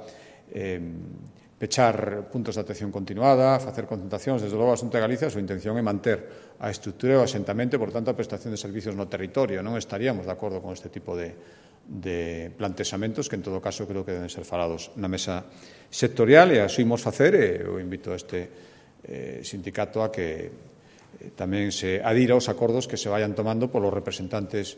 eh, pechar puntos de atención continuada, facer concentracións. Desde logo a Xunta de Galicia a súa intención é manter a estrutura e o asentamento, por tanto a prestación de servicios no territorio. Non estaríamos de acordo con este tipo de, de plantexamentos que en todo caso creo que deben ser falados na mesa sectorial e así imos facer e eu invito a este eh, sindicato a que eh, tamén se adira aos acordos que se vayan tomando polos representantes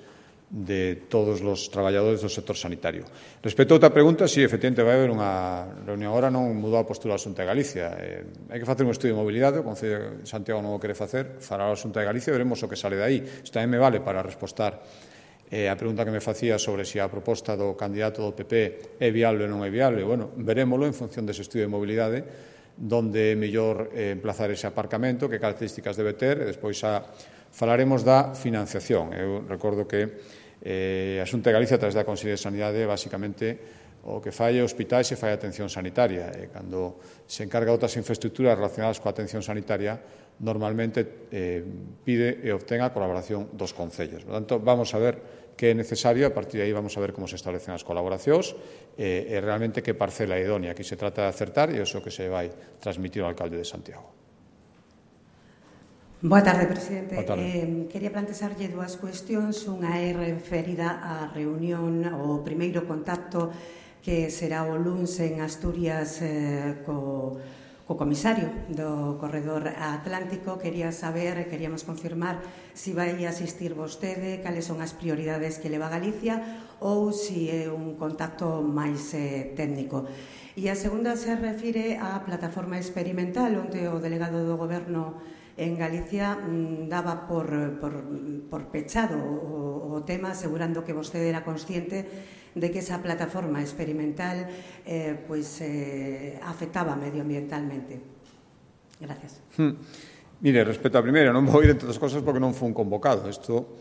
de todos os traballadores do sector sanitario. Respecto a outra pregunta, si, sí, efectivamente, vai haber unha reunión agora, non mudou a postura da Xunta de Galicia. Eh, hai que facer un estudio de mobilidade, o Concello de Santiago non o quere facer, fará a Xunta de Galicia e veremos o que sale de aí. Isto tamén me vale para respostar eh, a pregunta que me facía sobre se si a proposta do candidato do P P é viable ou non é viable. Bueno, verémolo en función dese estudio de mobilidade, donde é mellor eh, emplazar ese aparcamento, que características debe ter, e despois a, falaremos da financiación. Eu recordo que Eh, a Xunta de Galicia, a través da Consellería de Sanidade, basicamente o que fai é hospitais e fai atención sanitaria. E cando se encarga outras infraestructuras relacionadas coa atención sanitaria, normalmente eh, pide e obtén a colaboración dos concellos. Por tanto, vamos a ver que é necesario, a partir de aí vamos a ver como se establecen as colaboracións e, e realmente que parcela é idónea. Aquí se trata de acertar e iso que se vai transmitir ao alcalde de Santiago. Boa tarde, presidente. Boa tarde. Eh, quería plantexarlle dúas cuestións. Unha é referida á reunión, o primeiro contacto que será o luns en Asturias eh, co, co comisario do Corredor Atlántico. Quería saber, queríamos confirmar se si vai asistir vostede, cales son as prioridades que leva Galicia ou se si é un contacto máis eh, técnico. E a segunda se refire á plataforma experimental, onde o delegado do Goberno en Galicia mmm, daba por, por, por pechado o, o tema, asegurando que vostede era consciente de que esa plataforma experimental eh, pues, eh, afectaba medioambientalmente. Gracias. Hmm. Mire, respecto a primeira, non vou ir entre as cosas porque non foi un convocado. Isto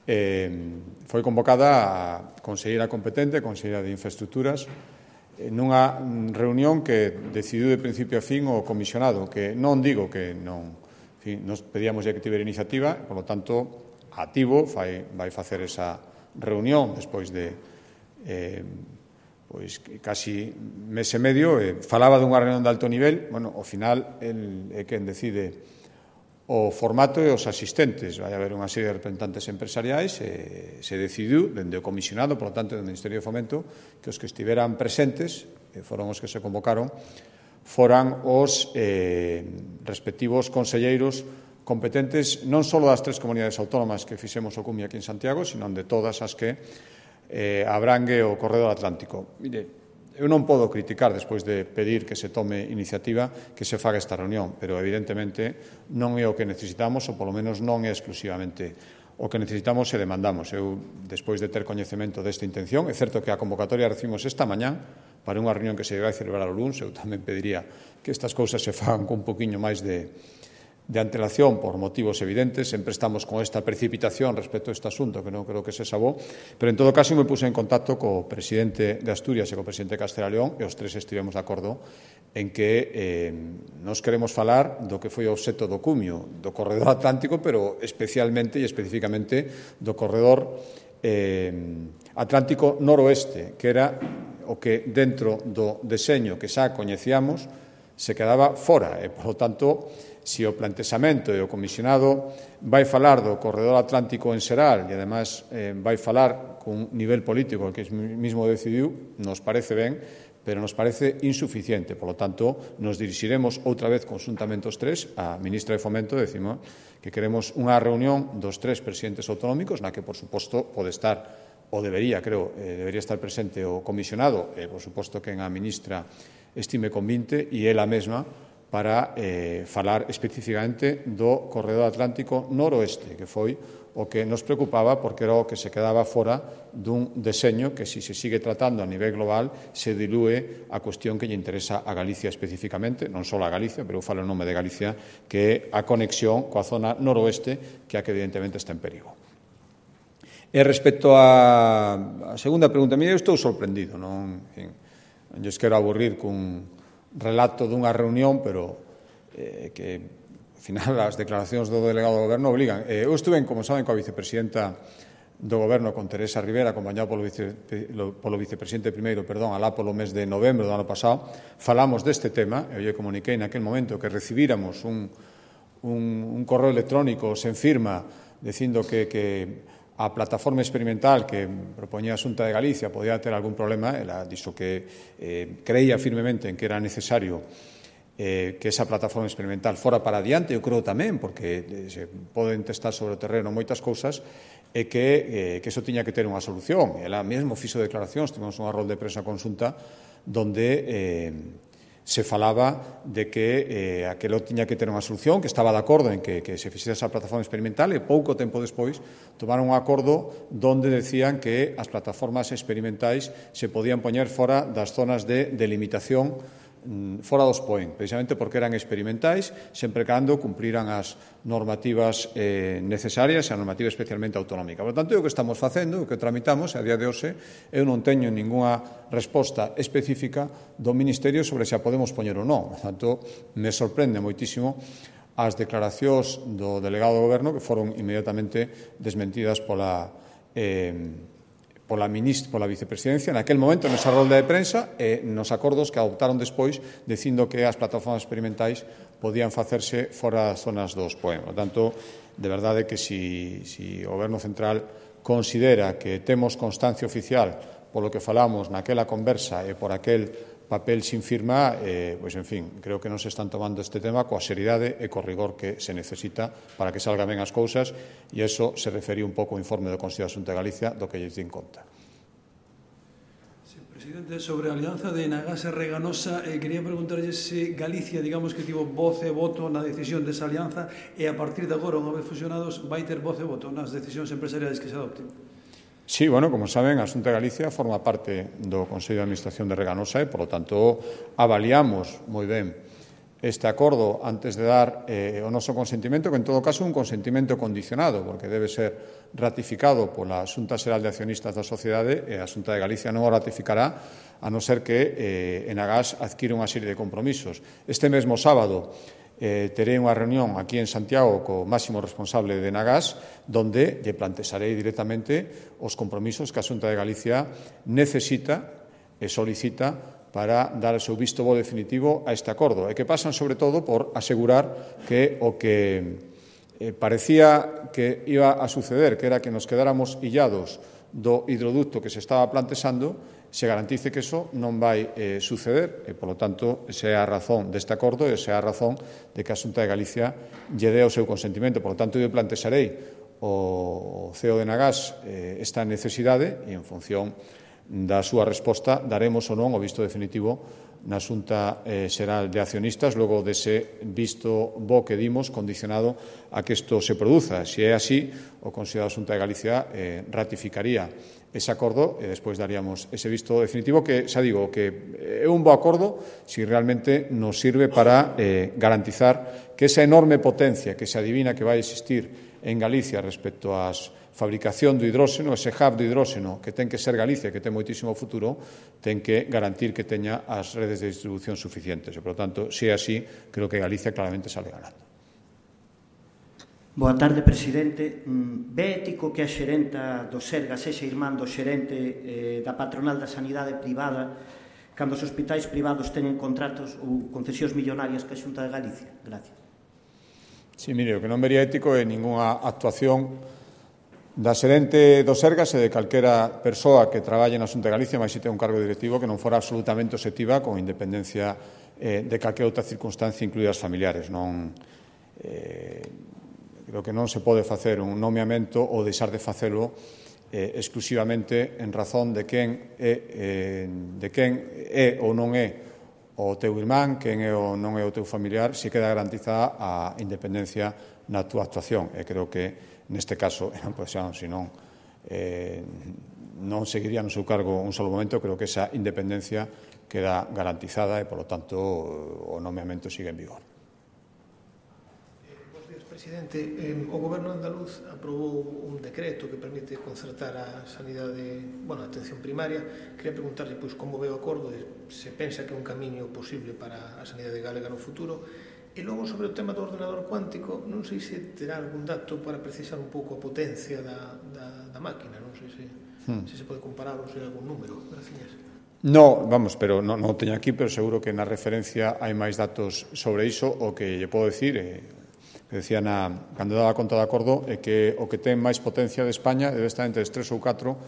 eh, foi convocada a conselleira competente, a conselleira de Infraestructuras, nunha reunión que decidiu de principio a fin o comisionado, que non digo que non, en fin, nos pedíamos ya que tivera iniciativa, por lo tanto, activo, vai, vai facer esa reunión despois de eh, pois casi mes e medio, eh, falaba dunha reunión de alto nivel, bueno, ao final el, é quen decide o formato e os asistentes. Vai haber unha serie de representantes empresariais e se decidiu, dende o comisionado, por lo tanto, dende o Ministerio de Fomento, que os que estiveran presentes, e foron os que se convocaron, foran os eh, respectivos conselleiros competentes non só das tres comunidades autónomas que fixemos o CUMI aquí en Santiago, sino de todas as que eh, abrangue o Corredor Atlántico. Mire, eu non podo criticar, despois de pedir que se tome iniciativa, que se faga esta reunión, pero evidentemente non é o que necesitamos, ou polo menos non é exclusivamente o que necesitamos e demandamos. Eu, despois de ter coñecemento desta intención, é certo que a convocatoria recibimos esta mañán para unha reunión que se vai celebrar o luns, eu tamén pediría que estas cousas se fagan con un poquinho máis de de antelación por motivos evidentes, sempre estamos con esta precipitación respecto a este asunto que non creo que se sabó, pero en todo caso me puse en contacto co presidente de Asturias e co presidente de Castela e León e os tres estivemos de acordo en que eh, nos queremos falar do que foi o obxecto do cumio do Corredor Atlántico, pero especialmente e especificamente do Corredor eh, Atlántico Noroeste, que era o que dentro do deseño que xa coñecíamos se quedaba fora e, por lo tanto, se o plantexamento e o comisionado vai falar do Corredor Atlántico en xeral e, ademais, eh, vai falar cun nivel político que mismo decidiu, nos parece ben, pero nos parece insuficiente. Por lo tanto, nos dirixiremos outra vez conjuntamente os tres á ministra de Fomento e decimos que queremos unha reunión dos tres presidentes autonómicos na que, por suposto, pode estar, ou debería, creo, eh, debería estar presente o comisionado e, por suposto, que a ministra estime convinte e ela mesma para eh, falar especificamente do Corredor Atlántico Noroeste, que foi o que nos preocupaba porque era o que se quedaba fora dun deseño que, se si se sigue tratando a nivel global, se dilúe a cuestión que lle interesa a Galicia especificamente, non só a Galicia, pero eu falo en nome de Galicia, que é a conexión coa zona noroeste, que é a que evidentemente está en perigo. E respecto á segunda pregunta, mire, eu estou sorprendido, non, en fin, non lles quero aburrir cun relato dunha reunión, pero eh, que, ao final, as declaracións do delegado do Goberno obligan. Eh, eu estuve, como saben, coa vicepresidenta do Goberno, con Teresa Rivera, acompañado polo, vice, polo vicepresidente primeiro, perdón, alá polo mes de novembro do ano pasado, falamos deste tema, e eu lle comuniquei naquel momento que recibíramos un, un, un correo electrónico sen firma, dicindo que, que a plataforma experimental que propoñía a Xunta de Galicia podía ter algún problema, ela dixo que eh, creía firmemente en que era necesario eh, que esa plataforma experimental fora para adiante, eu creo tamén, porque eh, se poden testar sobre o terreno moitas cousas, e que, eh, que eso tiña que ter unha solución. Ela mesmo fixo declaracións, tivemos unha rol de prensa conxunta, donde eh, se falaba de que eh, aquilo tiña que ter unha solución, que estaba de acordo en que, que se fixera esa plataforma experimental, e pouco tempo despois tomaron un acordo donde decían que as plataformas experimentais se podían poñer fora das zonas de delimitación, fora dos P O E N, precisamente porque eran experimentais, sempre cando cumpriran as normativas eh, necesarias, a normativa especialmente autonómica. Por tanto, o que estamos facendo, o que tramitamos, a día de hoxe, eu non teño ningunha resposta específica do Ministerio sobre se a podemos poñer ou non. Por tanto, me sorprende moitísimo as declaracións do delegado do Goberno que foron inmediatamente desmentidas pola eh, pola, ministra, pola vicepresidencia naquel momento nesa rolda de prensa e nos acordos que adoptaron despois dicindo que as plataformas experimentais podían facerse fora das zonas dos P O E. Por tanto, de verdade que si, si o Goberno Central considera que temos constancia oficial polo que falamos naquela conversa e por aquel papel sin firma, eh, pois, en fin, creo que non se están tomando este tema coa seriedade e co rigor que se necesita para que salgan ben as cousas, e iso se refería un pouco ao informe do Consello de Xunta de Galicia do que lles din conta. Sí, presidente, sobre a alianza de Nagas e Reganosa, eh, quería preguntarlle se Galicia, digamos que tivo voz e voto na decisión desa alianza e a partir de agora, unha vez fusionados, vai ter voz e voto nas decisións empresariais que se adopten. Sí, bueno, como saben, a Xunta de Galicia forma parte do Consello de Administración de Reganosa e, por lo tanto, avaliamos moi ben este acordo antes de dar eh, o noso consentimento, que en todo caso é un consentimento condicionado, porque debe ser ratificado pola Xunta Xeral de Accionistas da Sociedade e a Xunta de Galicia non o ratificará a non ser que eh, Enagás adquire unha serie de compromisos. Este mesmo sábado eh, terei unha reunión aquí en Santiago co máximo responsable de Enagás, donde lle plantexarei directamente os compromisos que a Xunta de Galicia necesita e solicita para dar o seu visto bo definitivo a este acordo, e que pasan, sobre todo, por asegurar que o que eh, parecía que iba a suceder, que era que nos quedáramos illados do hidroducto que se estaba plantexando, se garantice que eso non vai eh, suceder, e, polo tanto, esa é a razón deste acordo e esa é a razón de que a Xunta de Galicia lle dé o seu consentimento. Por lo tanto, eu plantexarei ao C E O de Enagás eh, esta necesidade e, en función da súa resposta, daremos ou non o visto definitivo na Xunta eh, Xeral de Accionistas, logo dese visto bo que dimos, condicionado a que isto se produza. Se é así, o Consello da Xunta de Galicia eh, ratificaría ese acordo e despois daríamos ese visto definitivo que, xa digo, que é un bo acordo si realmente nos sirve para eh, garantizar que esa enorme potencia que se adivina que vai existir en Galicia respecto ás fabricación do hidróxeno, ese hub do hidróxeno que ten que ser Galicia, que ten moitísimo futuro, ten que garantir que teña as redes de distribución suficientes. E, por lo tanto, se é así, creo que Galicia claramente sale ganando. Boa tarde, presidente. Ve ético que a xerenta do Sergas sexa irmán do xerente eh, da patronal da sanidade privada cando os hospitais privados teñen contratos ou concesións millonarias que a Xunta de Galicia? Gracias. Sí, mire, o que non vería ético é ninguna actuación da xerente do Sergas e de calquera persoa que traballe na Xunta de Galicia, máis se ten un cargo directivo, que non fora absolutamente obxectiva con independencia eh, de calquera outra circunstancia, incluídas familiares. Non, eh, creo que non se pode facer un nomeamento ou deixar de facelo eh, exclusivamente en razón de quen é, eh, de quen é ou non é o teu irmán, quen é ou non é o teu familiar, se queda garantizada a independencia na túa actuación. E creo que neste caso, pois, se non, eh, non seguiría no seu cargo un solo momento, creo que esa independencia queda garantizada e, polo tanto, o nomeamento sigue en vigor. Bos días, presidente. Eh, o Goberno andaluz aprobou un decreto que permite concertar a sanidade, bueno, a atención primaria. Quería preguntarle, pois, como ve o acordo, se pensa que é un camiño posible para a sanidade galega no futuro. E logo, sobre o tema do ordenador cuántico, non sei se terá algún dato para precisar un pouco a potencia da, da, da máquina, non sei se, hmm. se se pode comparar ou se hai algún número. Gracias. No, vamos, pero non, non o teño aquí, pero seguro que na referencia hai máis datos sobre iso. O que lle podo dicir, eh, que decía na, cando daba conta do acordo, é que o que ten máis potencia de España debe estar entre os tres ou catro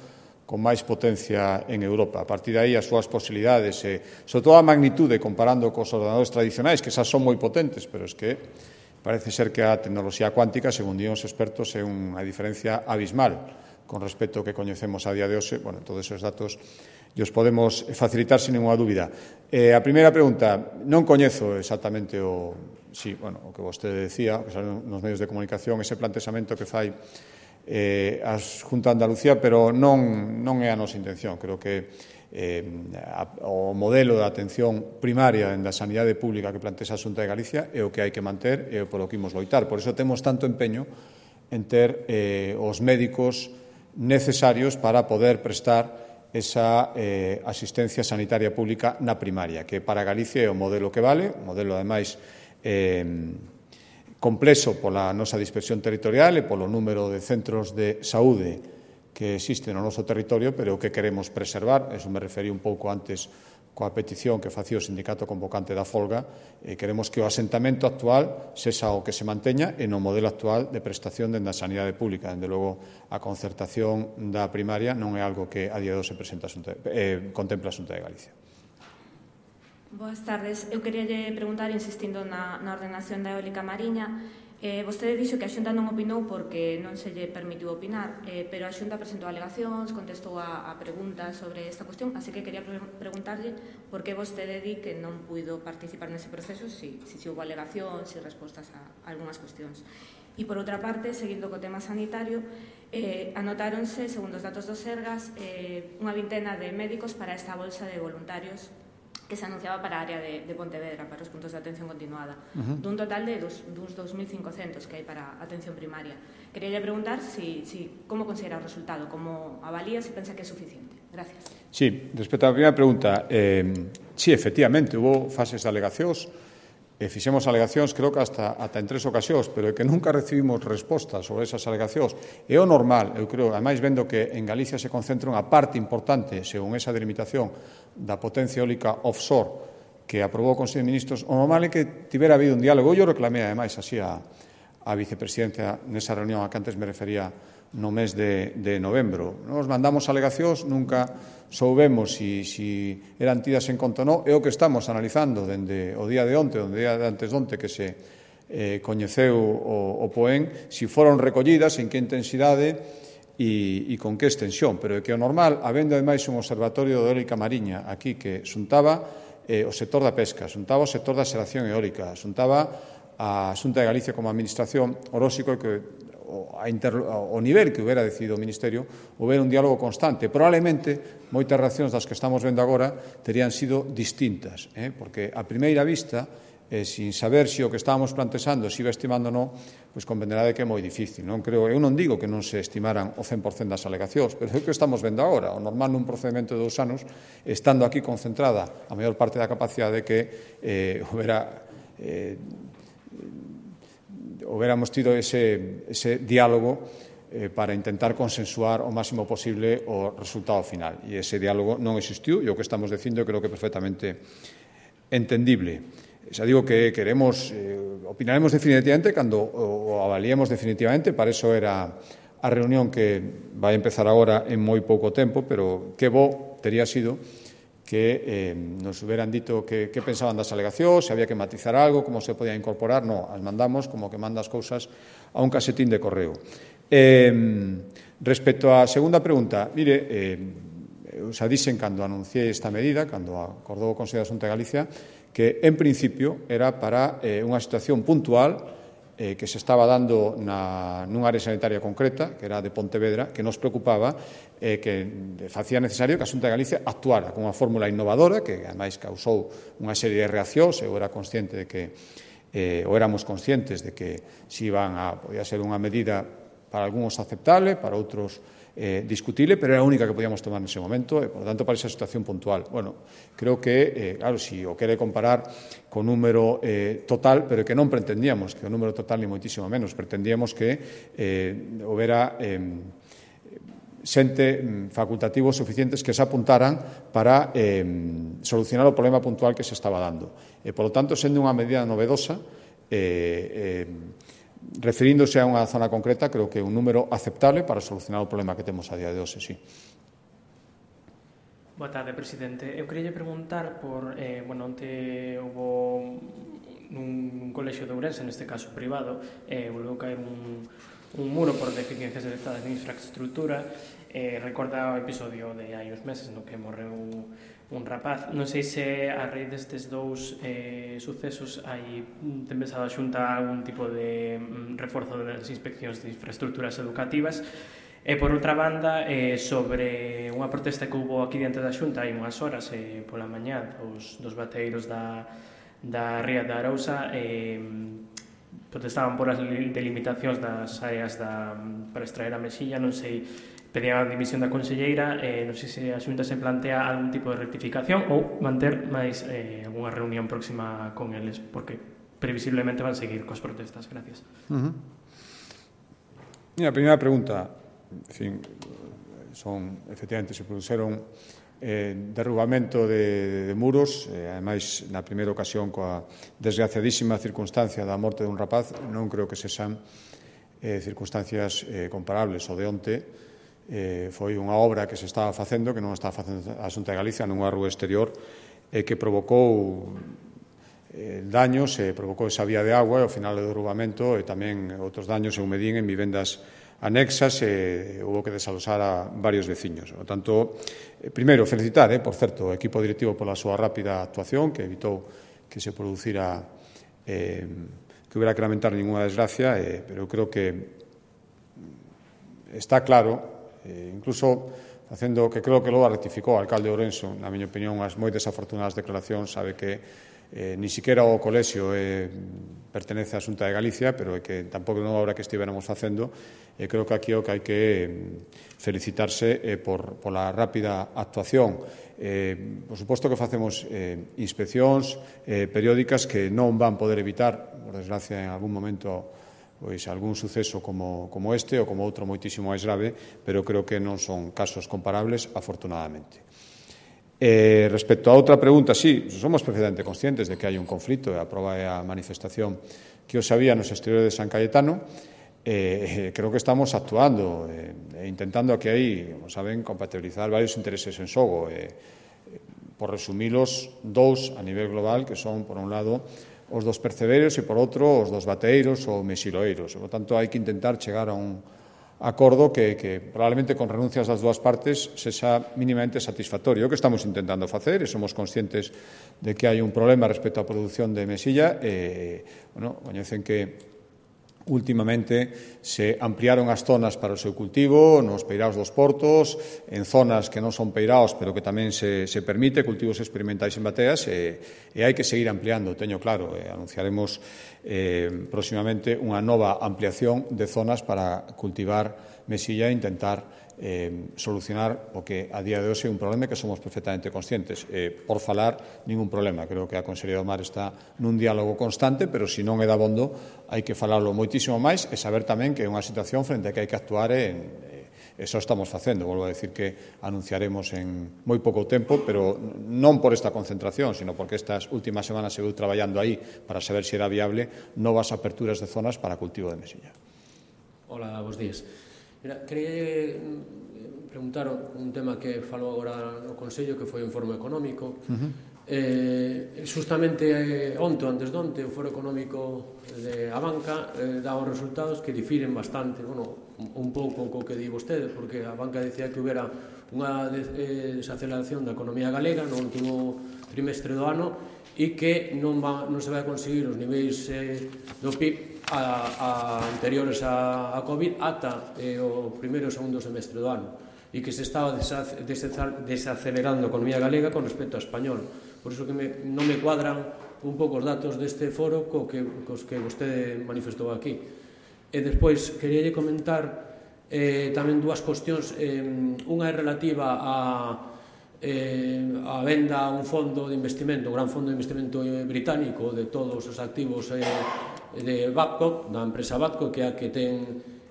con máis potencia en Europa. A partir de aí, as súas posibilidades, e, sobre todo a magnitude, comparando cos ordenadores tradicionais, que xa son moi potentes, pero es que parece ser que a tecnoloxía cuántica, según dían os expertos, é unha diferencia abismal con respecto ao que coñecemos a día de hoxe. Bueno, todos esos datos os podemos facilitar sin ninguna dúbida. Eh, a primeira pregunta, non coñezo exactamente o, sí, bueno, o que vostede decía, que salen nos medios de comunicación, ese plantexamento que fai Eh, a Xunta de Andalucía, pero non, non é a nosa intención. Creo que eh, a, o modelo de atención primaria da sanidade pública que plantea a Xunta de Galicia é o que hai que manter e o polo que imos loitar. Por iso temos tanto empeño en ter eh, os médicos necesarios para poder prestar esa eh, asistencia sanitaria pública na primaria, que para Galicia é o modelo que vale, o modelo, ademais, eh, complexo pola nosa dispersión territorial e polo número de centros de saúde que existen no noso territorio, pero que queremos preservar. Eso me referí un pouco antes coa petición que facía o sindicato convocante da folga. E queremos que o asentamento actual sexa o que se manteña e no modelo actual de prestación dende a sanidade pública. Dende logo, a concertación da primaria non é algo que a día de hoxe presenta a Xunta, eh, contempla a Xunta de Galicia. Boas tardes. Eu quería preguntar, insistindo na, na ordenación da eólica mariña, eh, vostede dixo que a Xunta non opinou porque non se lle permitiu opinar, eh, pero a Xunta presentou alegacións, contestou a, a preguntas sobre esta cuestión, así que quería pre preguntarlle por que vostede di que non puido participar nese proceso, si, si, si houve alegacións, si respostas a, a algunhas cuestións. E, por outra parte, seguindo co tema sanitario, eh, anotáronse, segundo os datos do Sergas, eh, unha vintena de médicos para esta bolsa de voluntarios que se anunciaba para a área de, de Pontevedra, para os puntos de atención continuada, Uh-huh. dun total de dos, duns dos mil cincocentos que hai para a atención primaria. Quería preguntar si, si, como considera o resultado, como avalía, si pensa que é suficiente. Gracias. Sí, respecto á primeira pregunta, eh, sí, efectivamente, hubo fases de alegacións, e fixemos alegacións, creo que hasta, hasta en tres ocasións, pero é que nunca recibimos respostas sobre esas alegacións. É o normal, eu creo, ademais vendo que en Galicia se concentra unha parte importante, según esa delimitación, da potencia eólica offshore que aprobou o Consello de Ministros, o normal é que tivera habido un diálogo. Eu reclamei, ademais, así a, a vicepresidencia nesa reunión a que antes me refería no mes de, de novembro. Nos mandamos alegacións, nunca soubemos si, si eran tidas en conta ou non. É o que estamos analizando dende o día de onte, o día de antes de onte que se eh, coñeceu o, o POEN, si foron recollidas, en que intensidade e, e con que extensión. Pero é que o normal, habendo ademais un observatorio de eólica mariña aquí que xuntaba eh, o sector da pesca, xuntaba o sector da xeración eólica, xuntaba a Xunta de Galicia como administración, o lóxico é que o, a inter, o nivel que hubiera decidido o Ministerio houbera un diálogo constante. Probablemente moitas reaccións das que estamos vendo agora terían sido distintas, eh? Porque a primeira vista, eh, sin saber se o que estábamos plantexando se iba estimando ou non, pois convenderá de que é moi difícil. Non creo, eu non digo que non se estimaran o cen por cento das alegacións, pero é o que estamos vendo agora. O normal nun procedimento de dous anos, estando aquí concentrada a maior parte da capacidade que eh, houbera eh, hubiéramos tido ese, ese diálogo eh, para intentar consensuar o máximo posible o resultado final. E ese diálogo non existiu, e o que estamos dicindo creo que é perfectamente entendible. Xa digo que queremos, eh, opinaremos definitivamente cando o, o avaliemos definitivamente, para eso era a reunión que vai empezar agora en moi pouco tempo, pero que bo tería sido que eh, nos hubieran dito que, que pensaban das alegacións, se había que matizar algo, como se podía incorporar. No, as mandamos como que manda as cousas a un casetín de correo. Eh, respecto á segunda pregunta, mire, eh, eu xa dixen cando anunciei esta medida, cando acordou o Consello da Xunta de Galicia, que en principio era para eh, unha situación puntual eh, que se estaba dando na, nunha área sanitaria concreta, que era de Pontevedra, que nos preocupaba, eh, que facía necesario que a Xunta de Galicia actuara con unha fórmula innovadora, que ademais causou unha serie de reaccións. Eu era consciente de que, eh, ou éramos conscientes de que si iban a, podía ser unha medida para algúns aceptable, para outros eh, discutible, pero era a única que podíamos tomar nese momento, e, por lo tanto, para esa situación puntual. Bueno, creo que, eh, claro, si o quere comparar con número eh, total, pero que non pretendíamos que o número total ni moitísimo menos, pretendíamos que eh, houbera eh, xente facultativos suficientes que se apuntaran para eh, solucionar o problema puntual que se estaba dando. E, por lo tanto, sendo unha medida novedosa, eh, eh, referíndose a unha zona concreta, creo que é un número aceptable para solucionar o problema que temos a día de hoxe, sí. Boa tarde, presidente. Eu queria preguntar por, eh, bueno, onte houve nun colexio de Ourense, neste caso privado, eh, volveu caer un, un muro por deficiencias detectadas de infraestructura. Eh, recorda o episodio de hai uns meses no que morreu un rapaz. Non sei se a raíz destes dous eh, sucesos hai ten pensado a Xunta algún tipo de mm, reforzo das inspeccións de infraestructuras educativas. E, por outra banda, eh, sobre unha protesta que houve aquí diante da Xunta hai unhas horas, eh, pola mañá, dos, dos bateiros da, da Ría da Arousa, eh, protestaban por as delimitacións das áreas da, para extraer a mexilla. Non sei, pedían a dimisión da conselleira, eh, non sei se a Xunta se plantea algún tipo de rectificación ou manter máis eh, algunha reunión próxima con eles, porque previsiblemente van seguir coas protestas. Gracias. Uh-huh. Mira, a primeira pregunta, en fin, son, efectivamente, se produceron eh, derrubamento de, de muros, eh, ademais, na primeira ocasión, coa desgraciadísima circunstancia da morte dun rapaz. Non creo que se sean eh, circunstancias eh, comparables. O de onte eh, foi unha obra que se estaba facendo, que non estaba facendo a Xunta de Galicia, nunha rúa exterior, eh, que provocou eh, daños, e eh, provocou esa vía de agua, e ao final do derrubamento, e tamén outros daños en Medín, en vivendas anexas, e eh, houve que desalosar a varios veciños. Por tanto, eh, primeiro, felicitar, eh, por certo, o equipo directivo pola súa rápida actuación, que evitou que se producira, eh, que houbera que lamentar ninguna desgracia, eh, pero eu creo que está claro, eh, incluso facendo que creo que logo rectificou o alcalde de Ourense, na miña opinión, as moi desafortunadas declaracións, sabe que eh, ni siquiera o colexio eh, pertenece á Xunta de Galicia, pero é que tampouco non obra que estivéramos facendo, e creo que aquí o que hai que eh, felicitarse eh, por, por la rápida actuación. Eh, por suposto que facemos eh, inspeccións eh, periódicas que non van poder evitar, por desgracia, en algún momento pois algún suceso como, como este ou como outro moitísimo máis grave, pero creo que non son casos comparables, afortunadamente. Eh, respecto a outra pregunta, sí, somos perfectamente conscientes de que hai un conflito, e a prova é a manifestación que os había nos exteriores de San Cayetano. Eh, creo que estamos actuando e eh, intentando que aí, como saben, compatibilizar varios intereses en xogo. Eh, por resumilos, dous a nivel global, que son, por un lado, os dos percebeiros e, por outro, os dos bateeiros ou mesiloeiros. Por tanto, hai que intentar chegar a un acordo que, que probablemente con renuncias das dúas partes sexa mínimamente satisfactorio. O que estamos intentando facer, e somos conscientes de que hai un problema respecto á produción de mesilla, e, bueno, coñecen que últimamente se ampliaron as zonas para o seu cultivo nos peiraos dos portos, en zonas que non son peiraos pero que tamén se, se permite cultivos experimentais en bateas, e, e hai que seguir ampliando, teño claro, e anunciaremos eh, próximamente unha nova ampliación de zonas para cultivar mesilla e intentar eh, solucionar o que a día de hoxe é un problema que somos perfectamente conscientes. Eh, por falar, ningún problema. Creo que a Consellería do Mar está nun diálogo constante, pero se non é dabondo, hai que falarlo moitísimo máis e saber tamén que é unha situación frente a que hai que actuar en, e só estamos facendo. Volvo a decir que anunciaremos en moi pouco tempo, pero non por esta concentración, sino porque estas últimas semanas se veu traballando aí para saber se era viable novas aperturas de zonas para cultivo de mesilla. Hola, bons días. Mira, quería preguntar un tema que falou agora no Consello, que foi o informe económico. Uh-huh. Eh, justamente eh, onte, antes de onte, o foro económico de a banca eh, dá os resultados que difiren bastante, bueno, un pouco co que di vostede, porque a banca decía que houbera unha desaceleración da economía galega no último trimestre do ano e que non, va, non se vai conseguir os niveis eh, do P I B a, a anteriores a, a COVID ata eh, o primeiro e segundo semestre do ano, e que se estaba desacelerando a economía galega con respecto ao español. Por iso que me, non me cuadran un pouco os datos deste foro co que, cos que vostede manifestou aquí. E despois, queríalle comentar eh, tamén dúas cuestións. Eh, unha é relativa a eh, a venda a un fondo de investimento, un gran fondo de investimento británico de todos os activos eh, de Babcock, da empresa Babcock, que é a que ten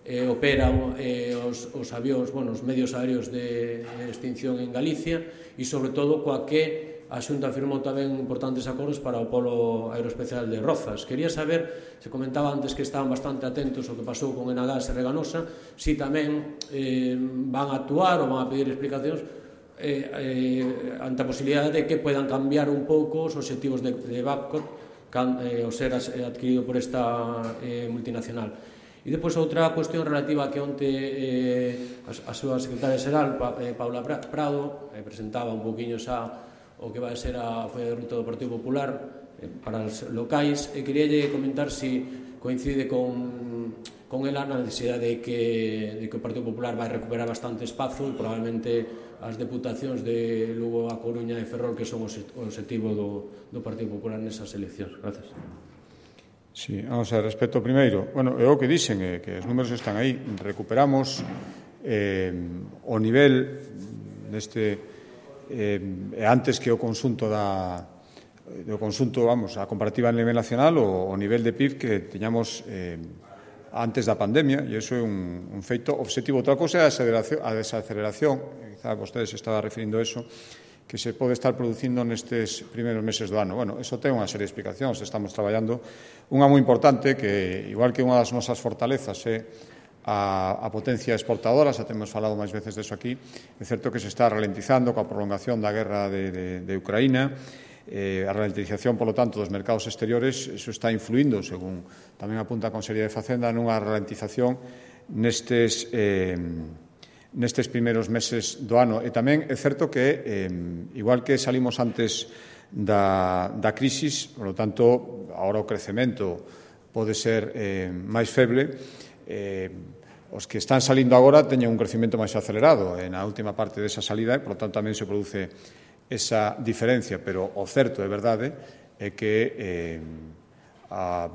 eh, opera eh, os, os avións, bueno, os medios aéreos de, de extinción en Galicia, e sobre todo coa que a Xunta firmou tamén importantes acordos para o polo aeroespecial de Rozas. Quería saber, se comentaba antes que estaban bastante atentos ao que pasou con Enagás e Reganosa, si tamén eh, van a actuar ou van a pedir explicacións eh, eh, ante a posibilidade de que puedan cambiar un pouco os obxectivos de, de Babcock can, eh, ao ser adquirido por esta eh, multinacional. E depois outra cuestión relativa que onte eh, a, a súa secretaria xeral, pa, eh, Paula Prado, eh, presentaba un poquinho xa o que vai ser a folla de ruta do Partido Popular eh, para os locais, e queríalle comentar si coincide con, con ela na necesidade de que, de que o Partido Popular vai recuperar bastante espazo e probablemente as deputacións de Lugo, A Coruña e Ferrol, que son o obxectivo do, do Partido Popular nesas eleccións. Gracias. Sí, vamos a ver, respecto ao primeiro, bueno, é o que dixen, eh, que os números están aí, recuperamos eh, o nivel neste eh, antes que o consunto da do consunto, vamos, a comparativa a nivel nacional o, o nivel de P I B que teñamos eh, antes da pandemia, e iso é un, un feito obxectivo. Outra cousa é a desaceleración, a desaceleración, quizá vostede se estaba referindo a eso, que se pode estar producindo nestes primeiros meses do ano. Bueno, eso ten unha serie de explicacións. Estamos traballando unha moi importante que, igual que unha das nosas fortalezas é a, a potencia exportadora, xa temos falado máis veces deso aquí, é certo que se está ralentizando coa prolongación da guerra de, de, de Ucraína, eh, a ralentización, polo tanto, dos mercados exteriores, eso está influindo, según tamén apunta a Consellería de Facenda, nunha ralentización nestes eh, nestes primeiros meses do ano. E tamén é certo que, eh, igual que salimos antes da, da crisis, por lo tanto, agora o crecemento pode ser eh, máis feble, eh, os que están salindo agora teñen un crecemento máis acelerado na última parte desa salida e, por tanto, tamén se produce esa diferencia, pero o certo é verdade é que eh, a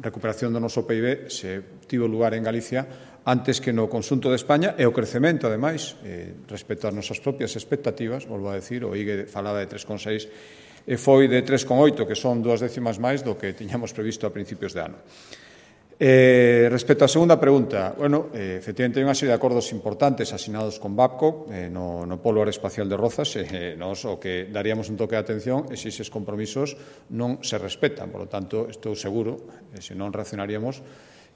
recuperación do noso P I B se tivo lugar en Galicia antes que no conxunto de España e o crecemento, ademais, eh, respecto ás nosas propias expectativas, volvo a decir, o I G E falaba de tres coma seis e foi de tres coma oito, que son dúas décimas máis do que tiñamos previsto a principios de ano. Eh, respecto á segunda pregunta, bueno, eh, efectivamente hai unha serie de acordos importantes asinados con Babcock eh, no, no Polo Aeroespacial de Rozas e eh, nos o que daríamos un toque de atención é se eses compromisos non se respetan. Por lo tanto, estou seguro, eh, se non reaccionaríamos,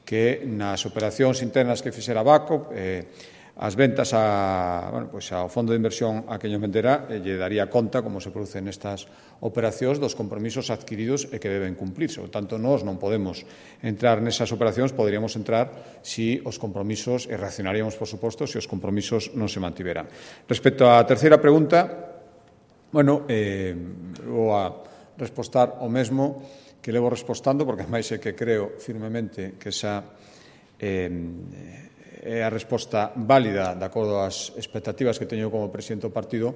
que nas operacións internas que fixera Babcock eh, as ventas a, bueno, pues ao fondo de inversión a Queño Mendera eh, lle daría conta, como se producen nestas operacións, dos compromisos adquiridos e que deben cumplirse. Por tanto, nós non podemos entrar nesas operacións, poderíamos entrar si os compromisos, e reaccionaríamos, por suposto, se os compromisos non se mantiveran. Respecto á terceira pregunta, bueno, eh, vou a respostar o mesmo que levo respostando, porque máis é que creo firmemente que esa eh, é a resposta válida de acordo ás expectativas que teño como presidente do partido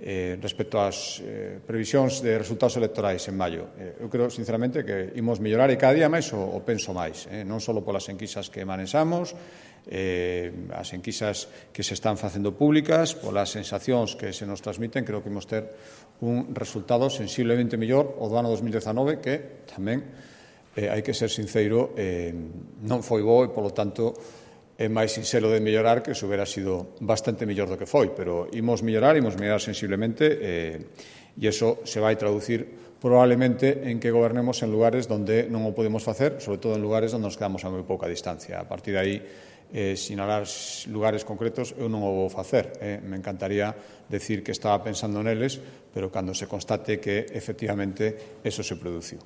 eh, respecto ás eh, previsións de resultados electorais en maio. Eh, eu creo, sinceramente, que imos mellorar e cada día máis o, o penso máis, eh, non só polas enquisas que manexamos, eh, as enquisas que se están facendo públicas, polas sensacións que se nos transmiten, creo que imos ter un resultado sensiblemente mellor o do ano dos mil dezanove, que tamén, eh, hai que ser sincero, eh, non foi bo e, polo tanto, é máis sinxelo de mellorar que se hubiera sido bastante mellor do que foi, pero imos mellorar, imos mellorar sensiblemente eh, e iso se vai traducir probablemente en que gobernemos en lugares donde non o podemos facer, sobre todo en lugares onde nos quedamos a moi pouca distancia. A partir de aí, eh, sinalar lugares concretos, eu non o vou facer. Eh. Me encantaría decir que estaba pensando neles, pero cando se constate que efectivamente eso se produciu.